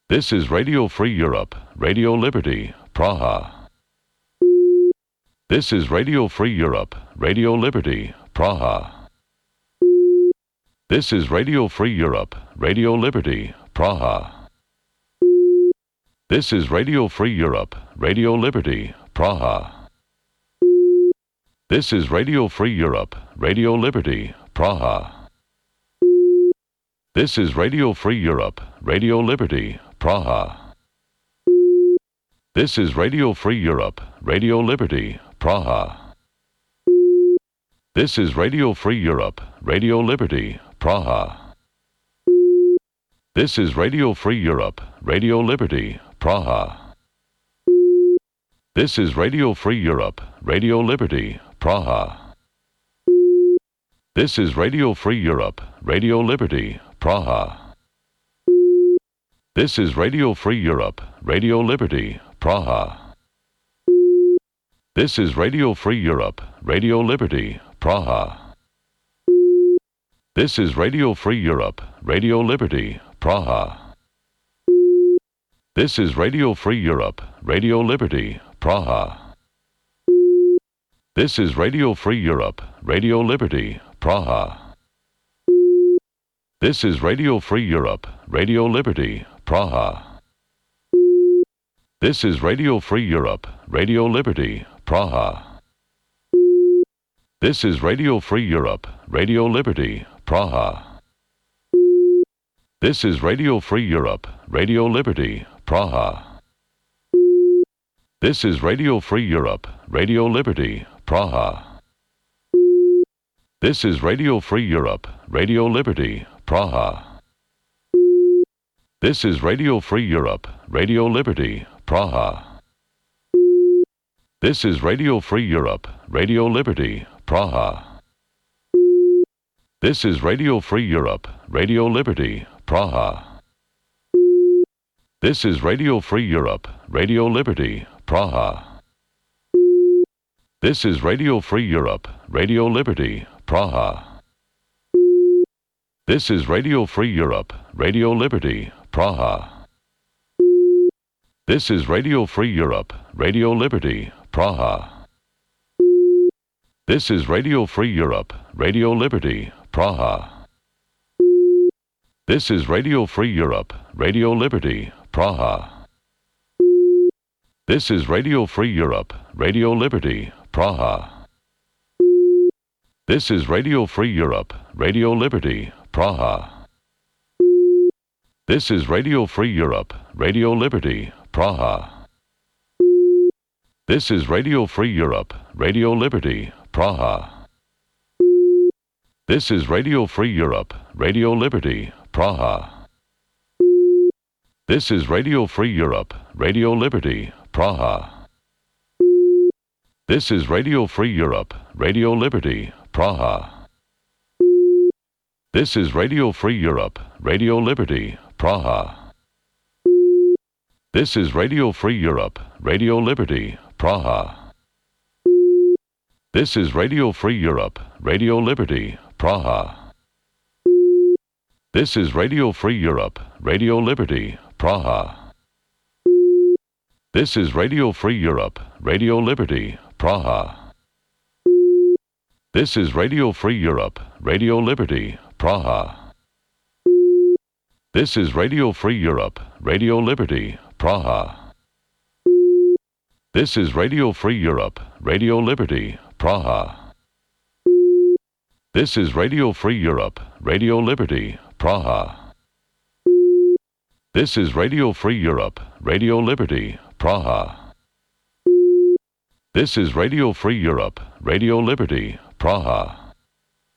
This is Radio Free Europe, Radio Liberty, Praha. This is Radio Free Europe, Radio Liberty, Praha. This is Radio Free Europe, Radio Liberty, Praha. This is Radio Free Europe, Radio Liberty, Praha. This is Radio Free Europe, Radio Liberty, Praha. This is Radio Free Europe, Radio Liberty, Praha. This is Radio Free Europe, Radio Liberty, Praha. This is Radio Free Europe, Radio Liberty, Praha. This is Radio Free Europe, Radio Liberty, Praha. This is Radio Free Europe, Radio Liberty, Praha. This is Radio Free Europe, Radio Liberty, Praha. This is Radio Free Europe, Radio Liberty, Praha. This is Radio Free Europe, Radio Liberty, Praha. This is Radio Free Europe, Radio Liberty, Praha. This is Radio Free Europe, Radio Liberty, Praha. This is Radio Free Europe, Radio Liberty, Praha. This is Radio Free Europe, Radio Liberty, Praha. This is Radio Free Europe, Radio Liberty, Praha. This is Radio Free Europe, Radio Liberty, Praha. This is Radio Free Europe, Radio Liberty, Praha. This is Radio Free Europe, Radio Liberty, Praha. This is Radio Free Europe, Radio Liberty, Praha. This is Radio Free Europe, Radio Liberty, Praha. This is Radio Free Europe, Radio Liberty, Praha. This is Radio Free Europe, Radio Liberty, Praha. This is Radio Free Europe, Radio Liberty, Praha. This is Radio Free Europe, Radio Liberty, Praha. This is Radio Free Europe, Radio Liberty, Praha. This is Radio Free Europe, Radio Liberty, Praha. This is Radio Free Europe, Radio Liberty, Praha. This is Radio Free Europe, Radio Liberty, Praha. This is Radio Free Europe, Radio Liberty, Praha. This is Radio Free Europe, Radio Liberty, Praha. This is Radio Free Europe, Radio Liberty, Praha. This is Radio Free Europe, Radio Liberty, Praha. This is Radio Free Europe, Radio Liberty, Praha. This is Radio Free Europe, Radio Liberty, Praha. This is Radio Free Europe, Radio Liberty, Praha. This is Radio Free Europe, Radio Liberty, Praha. This is Radio Free Europe, Radio Liberty, Praha. This is Radio Free Europe, Radio Liberty, Praha. This is Radio Free Europe, Radio Liberty, Praha. This is Radio Free Europe, Radio Liberty, Praha. This is Radio Free Europe, Radio Liberty, Praha. This is Radio Free Europe, Radio Liberty, Praha. This is Radio Free Europe, Radio Liberty, Praha. This is Radio Free Europe, Radio Liberty, Praha. This is Radio Free Europe, Radio Liberty, Praha. This is Radio Free Europe, Radio Liberty, Praha. This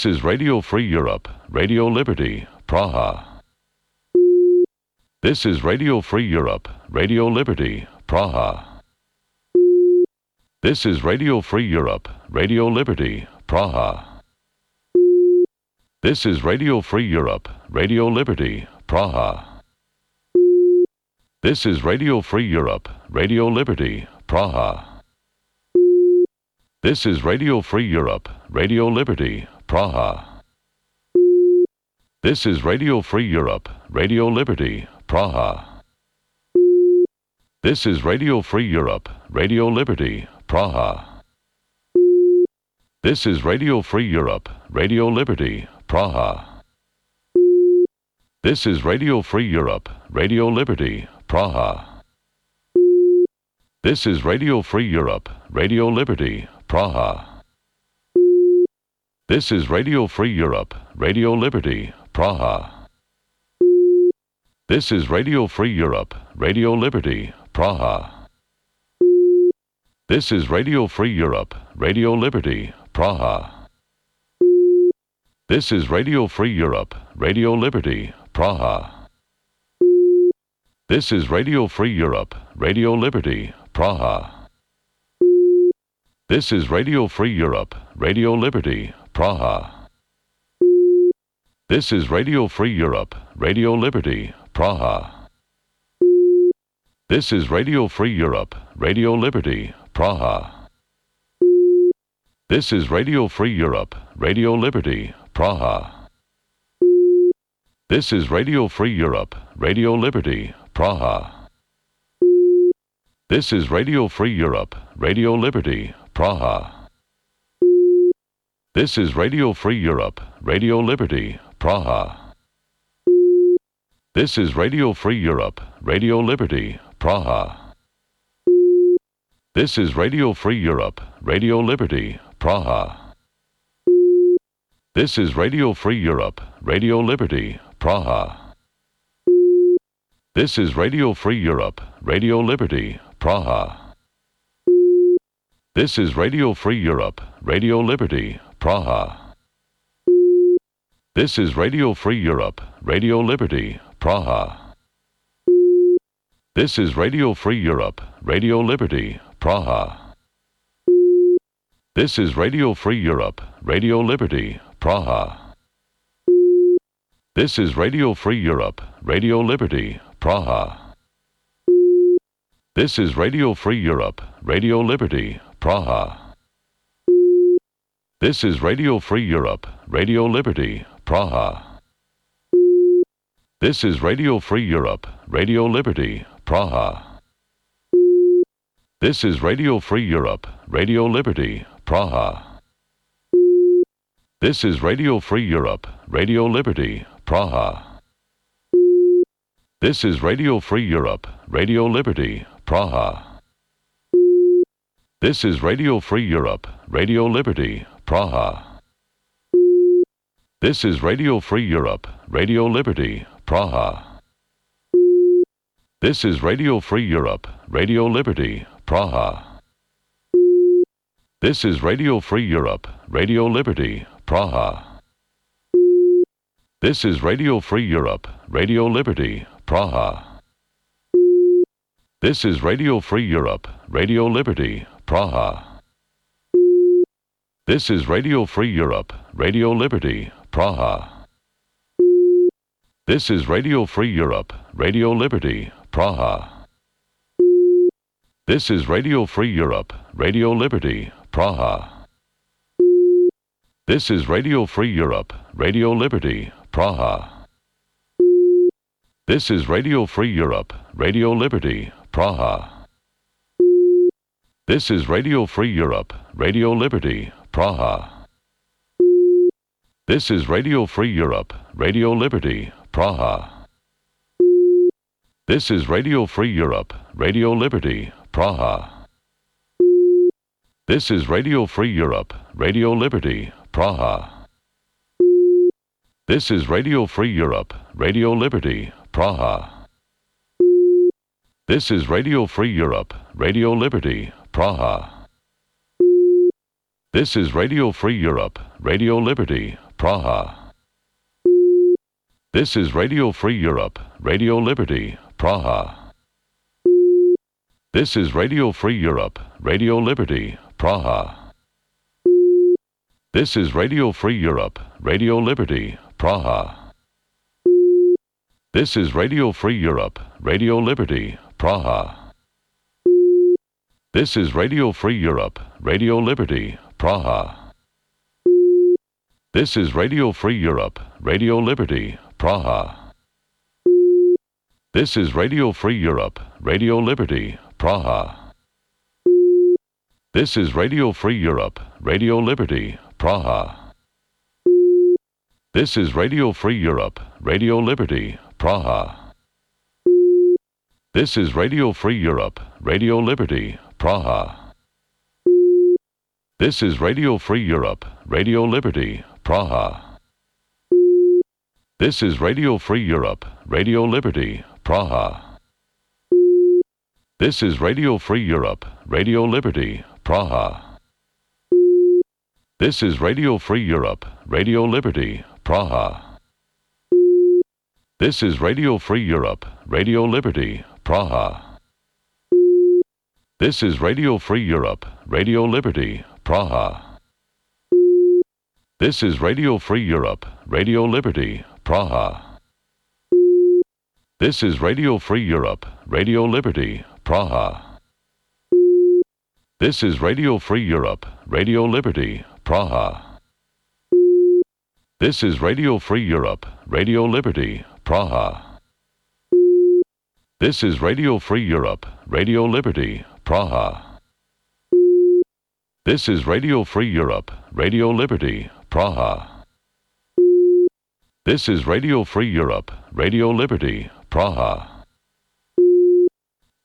is Radio Free Europe, Radio Liberty, Praha. This is Radio Free Europe, Radio Liberty, Praha. This is Radio Free Europe, Radio Liberty, Praha. This is Radio Free Europe, Radio Liberty, Praha. This is Radio Free Europe, Radio Liberty, Praha. This is Radio Free Europe, Radio Liberty, Praha. This is Radio Free Europe, Radio Liberty, Praha. This is Radio Free Europe, Radio Liberty, Praha. This is Radio Free Europe, Radio Liberty, Praha. This is Radio Free Europe, Radio Liberty, Praha. This is Radio Free Europe, Radio Liberty, Praha. This is Radio Free Europe, Radio Liberty, Praha. This is Radio Free Europe, Radio Liberty, Praha. This is Radio Free Europe, Radio Liberty, Praha. This is Radio Free Europe, Radio Liberty, Praha. This is Radio Free Europe, Radio Liberty, Praha. This is Radio Free Europe, Radio Liberty, Praha. This is Radio Free Europe, Radio Liberty, Praha. This is Radio Free Europe, Radio Liberty, Praha. This is Radio Free Europe, Radio Liberty, Praha. This is Radio Free Europe, Radio Liberty, Praha. This is Radio Free Europe, Radio Liberty, Praha. This is Radio Free Europe, Radio Liberty, Praha. This is Radio Free Europe, Radio Liberty, Praha. This is Radio Free Europe, Radio Liberty, Praha. This is Radio Free Europe, Radio Liberty, Praha. This is Radio Free Europe, Radio Liberty, Praha. This is Radio Free Europe, Radio Liberty, Praha. This is Radio Free Europe, Radio Liberty, Praha. This is Radio Free Europe, Radio Liberty, Praha. This is Radio Free Europe, Radio Liberty, Praha. This is Radio Free Europe, Radio Liberty, Praha. This is Radio Free Europe, Radio Liberty, Praha. This is Radio Free Europe, Radio Liberty, Praha. This is Radio Free Europe, Radio Liberty, Praha. This is Radio Free Europe, Radio Liberty, Praha. This is Radio Free Europe, Radio Liberty, Praha. This is Radio Free Europe, Radio Liberty, Praha. This is Radio Free Europe, Radio Liberty, Praha. This is Radio Free Europe, Radio Liberty, Praha. This is Radio Free Europe, Radio Liberty, Praha. This is Radio Free Europe, Radio Liberty, Praha. This is Radio Free Europe, Radio Liberty, Praha. This is Radio Free Europe, Radio Liberty, Praha. This is Radio Free Europe, Radio Liberty, Praha. This is Radio Free Europe, Radio Liberty, Praha. This is Radio Free Europe, Radio Liberty, Praha. This is Radio Free Europe, Radio Liberty, Praha. This is Radio Free Europe, Radio Liberty, Praha. This is Radio Free Europe, Radio Liberty, Praha. This is Radio Free Europe, Radio Liberty, Praha. This is Radio Free Europe, Radio Liberty, Praha. This is Radio Free Europe, Radio Liberty, Praha. This is Radio Free Europe, Radio Liberty, Praha. This is Radio Free Europe, Radio Liberty, Praha. This is Radio Free Europe, Radio Liberty, Praha. This is Radio Free Europe, Radio Liberty, Praha. This is Radio Free Europe, Radio Liberty, Praha. This is Radio Free Europe, Radio Liberty, Praha. This is Radio Free Europe, Radio Liberty, Praha. This is Radio Free Europe, Radio Liberty, Praha. This is Radio Free Europe, Radio Liberty, Praha. This is Radio Free Europe, Radio Liberty, Praha. This is Radio Free Europe, Radio Liberty, Praha. This is Radio Free Europe, Radio Liberty, Praha. This is Radio Free Europe, Radio Liberty, Praha. This is Radio Free Europe, Radio Liberty, Praha. This is Radio Free Europe, Radio Liberty, Praha. This is Radio Free Europe, Radio Liberty, Praha. This is Radio Free Europe, Radio Liberty, Praha. This is Radio Free Europe, Radio Liberty, Praha. This is Radio Free Europe, Radio Liberty, Praha. This is Radio Free Europe, Radio Liberty, Praha. This is Radio Free Europe, Radio Liberty, Praha. This is Radio Free Europe, Radio Liberty, Praha. This is Radio Free Europe, Radio Liberty, Praha. This is Radio Free Europe, Radio Liberty, Praha. This is Radio Free Europe, Radio Liberty, Praha. This is Radio Free Europe, Radio Liberty, Praha.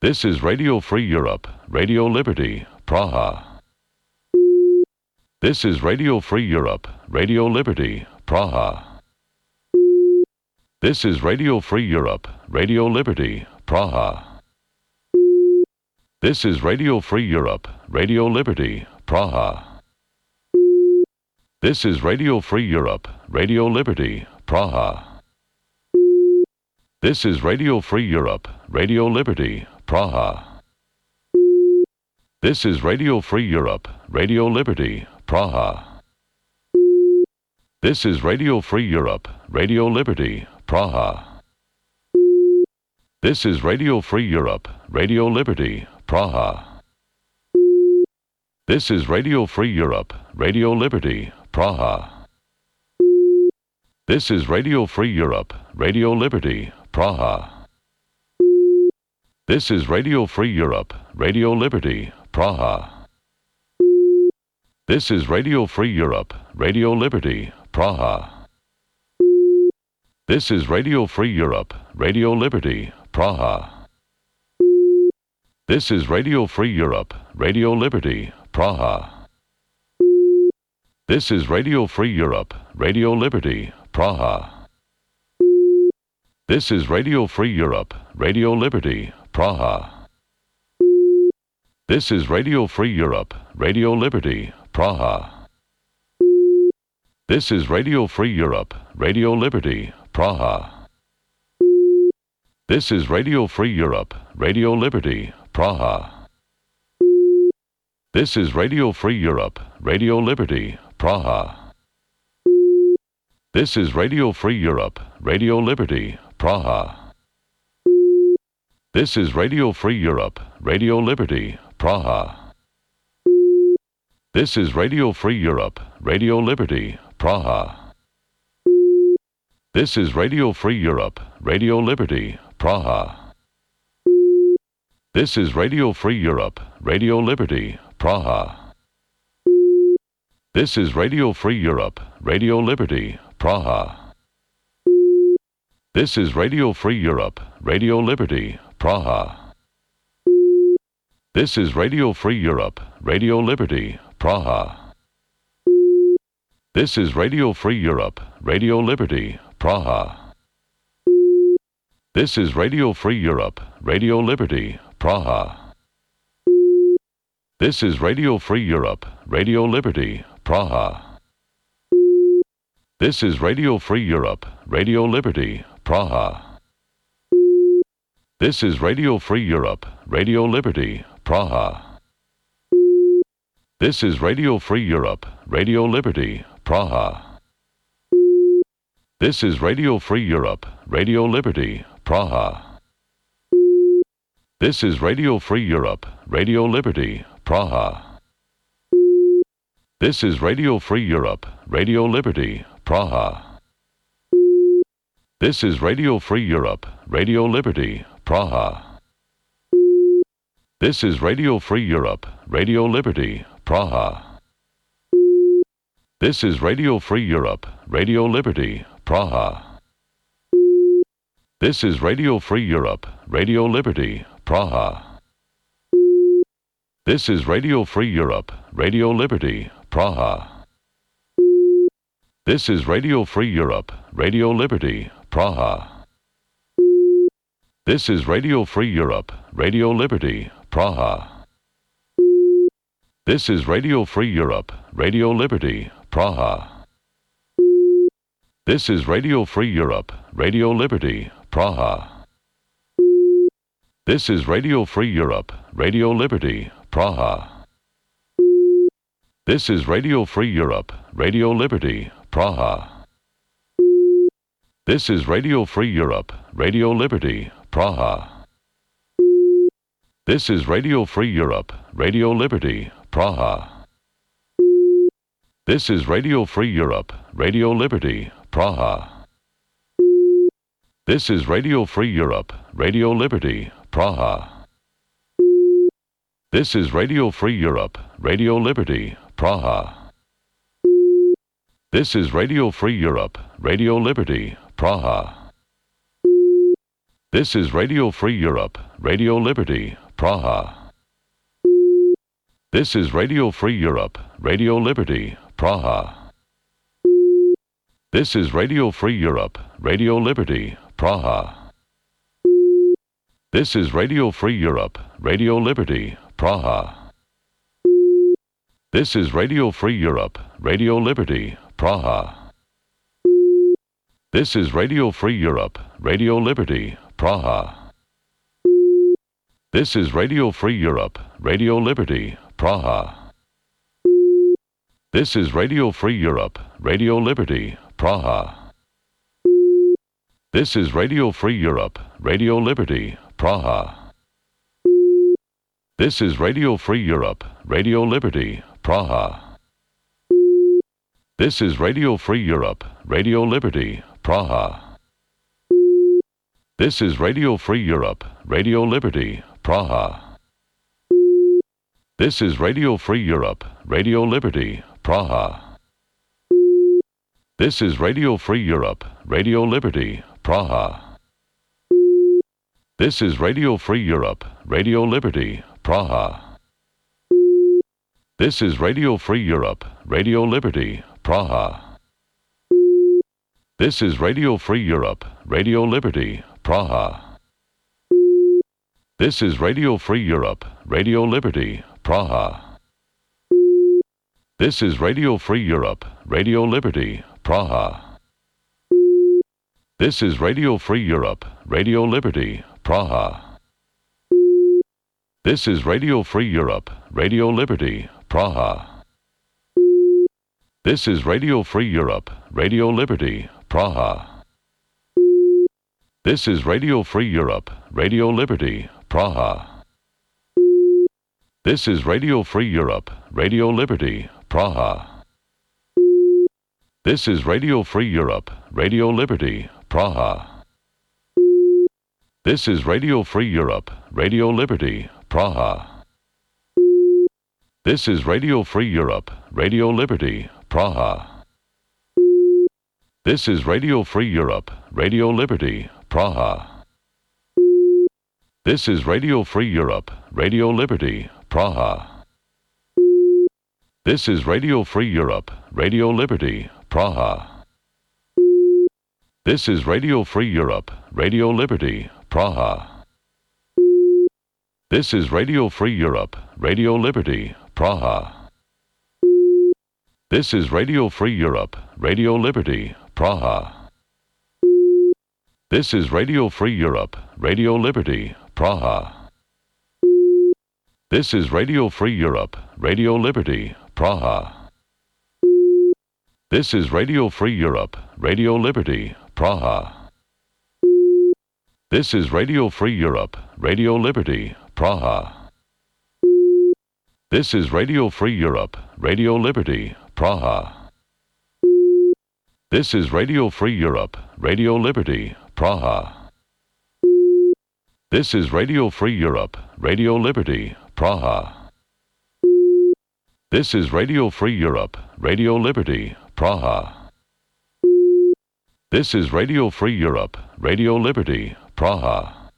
This is Radio Free Europe, Radio Liberty, Praha. This is Radio Free Europe, Radio Liberty, Praha. This is Radio Free Europe, Radio Liberty, Praha. This is Radio Free Europe, Radio Liberty, Praha. This is Radio Free Europe, Radio Liberty, Praha. This is Radio Free Europe, Radio Liberty, Praha. This is Radio Free Europe, Radio Liberty, Praha. This is Radio Free Europe, Radio Liberty, Praha. This is Radio Free Europe, Radio Liberty, Praha. This is Radio Free Europe, Radio Liberty, Praha. This is Radio Free Europe, Radio Liberty, Praha. This is Radio Free Europe, Radio Liberty, Praha. This is Radio Free Europe, Radio Liberty, Praha. This is Radio Free Europe, Radio Liberty, Praha. This is Radio Free Europe, Radio Liberty, Praha. This is Radio Free Europe, Radio Liberty, Praha. This is Radio Free Europe, Radio Liberty, Praha. This is Radio Free Europe, Radio Liberty, Praha. This is Radio Free Europe, Radio Liberty, Praha. This is Radio Free Europe, Radio Liberty, Praha. This is Radio Free Europe, Radio Liberty, Praha. This is Radio Free Europe, Radio Liberty, Praha. This is Radio Free Europe, Radio Liberty, Praha. This is Radio Free Europe, Radio Liberty, Praha. This is Radio Free Europe, Radio Liberty, Praha. This is Radio Free Europe, Radio Liberty, Praha. This is Radio Free Europe, Radio Liberty, Praha. This is Radio Free Europe, Radio Liberty, Praha. This is Radio Free Europe, Radio Liberty, Praha. This is Radio Free Europe, Radio Liberty, Praha. This is Radio Free Europe, Radio Liberty, Praha. This is Radio Free Europe, Radio Liberty, Praha. This is Radio Free Europe, Radio Liberty, Praha. This is Radio Free Europe, Radio Liberty, Praha. This is Radio Free Europe, Radio Liberty, Praha. This is Radio Free Europe, Radio Liberty, Praha. This is Radio Free Europe, Radio Liberty, Praha. This is Radio Free Europe, Radio Liberty, Praha. This is Radio Free Europe, Radio Liberty, Praha. This is Radio Free Europe, Radio Liberty, Praha. This is Radio Free Europe, Radio Liberty, Praha. This is Radio Free Europe, Radio Liberty, Praha. This is Radio Free Europe, Radio Liberty, Praha. This is Radio Free Europe, Radio Liberty, Praha. This is Radio Free Europe, Radio Liberty, Praha. This is Radio Free Europe, Radio Liberty, Praha. This is Radio Free Europe, Radio Liberty, Praha. This is Radio Free Europe, Radio Liberty, Praha. This is Radio Free Europe, Radio Liberty, Praha. This is Radio Free Europe, Radio Liberty, Praha. This is Radio Free Europe, Radio Liberty, Praha. This is Radio Free Europe, Radio Liberty, Praha. This is Radio Free Europe, Radio Liberty, Praha. This is Radio Free Europe, Radio Liberty, Praha. This is Radio Free Europe, Radio Liberty, Praha. This is Radio Free Europe, Radio Liberty, Praha. This is Radio Free Europe, Radio Liberty, Praha. This is Radio Free Europe, Radio Liberty, Praha. This is Radio Free Europe, Radio Liberty, Praha. This is Radio Free Europe, Radio Liberty, Praha. This is Radio Free Europe, Radio Liberty, Praha. This is Radio Free Europe, Radio Liberty, Praha. This is Radio Free Europe, Radio Liberty, Praha. This is Radio Free Europe, Radio Liberty, Praha. This is Radio Free Europe, Radio Liberty, Praha. This is Radio Free Europe, Radio Liberty, Praha. This is Radio Free Europe, Radio Liberty, Praha. This is Radio Free Europe, Radio Liberty, Praha. This is Radio Free Europe, Radio Liberty, Praha. This is Radio Free Europe, Radio Liberty, Praha. This is Radio Free Europe, Radio Liberty, Praha. This is Radio Free Europe, Radio Liberty, Praha. This is Radio Free Europe, Radio Liberty, Praha. This is Radio Free Europe, Radio Liberty, Praha. This is Radio Free Europe, Radio Liberty, Praha. This is Radio Free Europe, Radio Liberty, Praha. This is Radio Free Europe, Radio Liberty, Praha. This is Radio Free Europe, Radio Liberty, Praha. This is Radio Free Europe, Radio Liberty, Praha. This is Radio Free Europe, Radio Liberty, Praha. This is Radio Free Europe, Radio Liberty, Praha. This is Radio Free Europe, Radio Liberty, Praha. This is Radio Free Europe, Radio Liberty, Praha. This is Radio Free Europe, Radio Liberty, Praha. This is Radio Free Europe, Radio Liberty, Praha. This is Radio Free Europe, Radio Liberty, Praha. This is Radio Free Europe, Radio Liberty, Praha. This is Radio Free Europe, Radio Liberty, Praha. This is Radio Free Europe, Radio Liberty, Praha. This is Radio Free Europe, Radio Liberty, Praha. This is Radio Free Europe, Radio Liberty, Praha. This is Radio Free Europe, Radio Liberty, Praha. This is Radio Free Europe, Radio Liberty, Praha. This is Radio Free Europe, Radio Liberty, Praha. This is Radio Free Europe, Radio Liberty, Praha. This is Radio Free Europe, Radio Liberty, Praha. This is Radio Free Europe, Radio Liberty, Praha.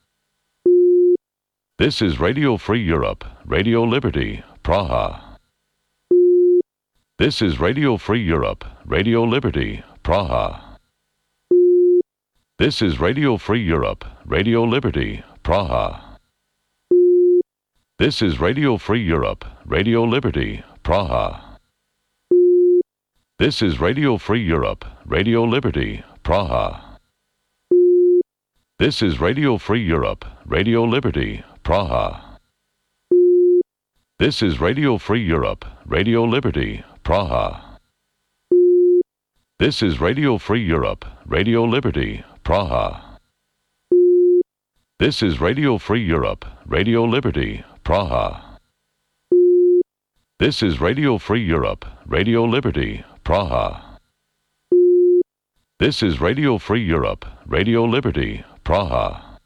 This is Radio Free Europe, Radio Liberty, Praha. This is Radio Free Europe, Radio Liberty, Praha. This is Radio Free Europe, Radio Liberty, Praha. This is Radio Free Europe, Radio Liberty, Praha. This is Radio Free Europe, Radio Liberty, Praha. This is Radio Free Europe, Radio Liberty, Praha. This is Radio Free Europe, Radio Liberty, Praha. This is Radio Free Europe, Radio Liberty, Praha. This is Radio Free Europe, Radio Liberty, Praha. This is Radio Free Europe, Radio Liberty, Praha. This is Radio Free Europe, Radio Liberty, Praha.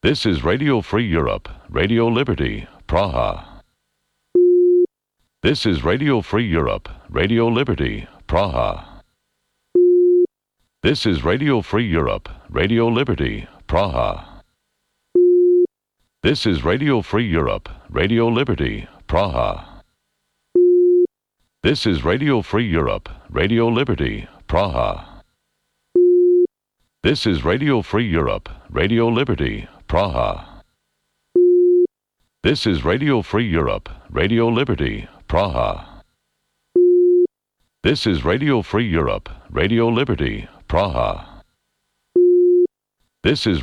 This is Radio Free Europe, Radio Liberty, Praha. This is Radio Free Europe, Radio Liberty, Praha. This is Radio Free Europe, Radio Liberty, Praha. This is Radio Free Europe, Radio Liberty, Praha. This is Radio Free Europe, Radio Liberty, Praha. This is Radio Free Europe, Radio Liberty, Praha. This is Radio Free Europe, Radio Liberty, Praha. This is Radio Free Europe, Radio Liberty, Praha. This is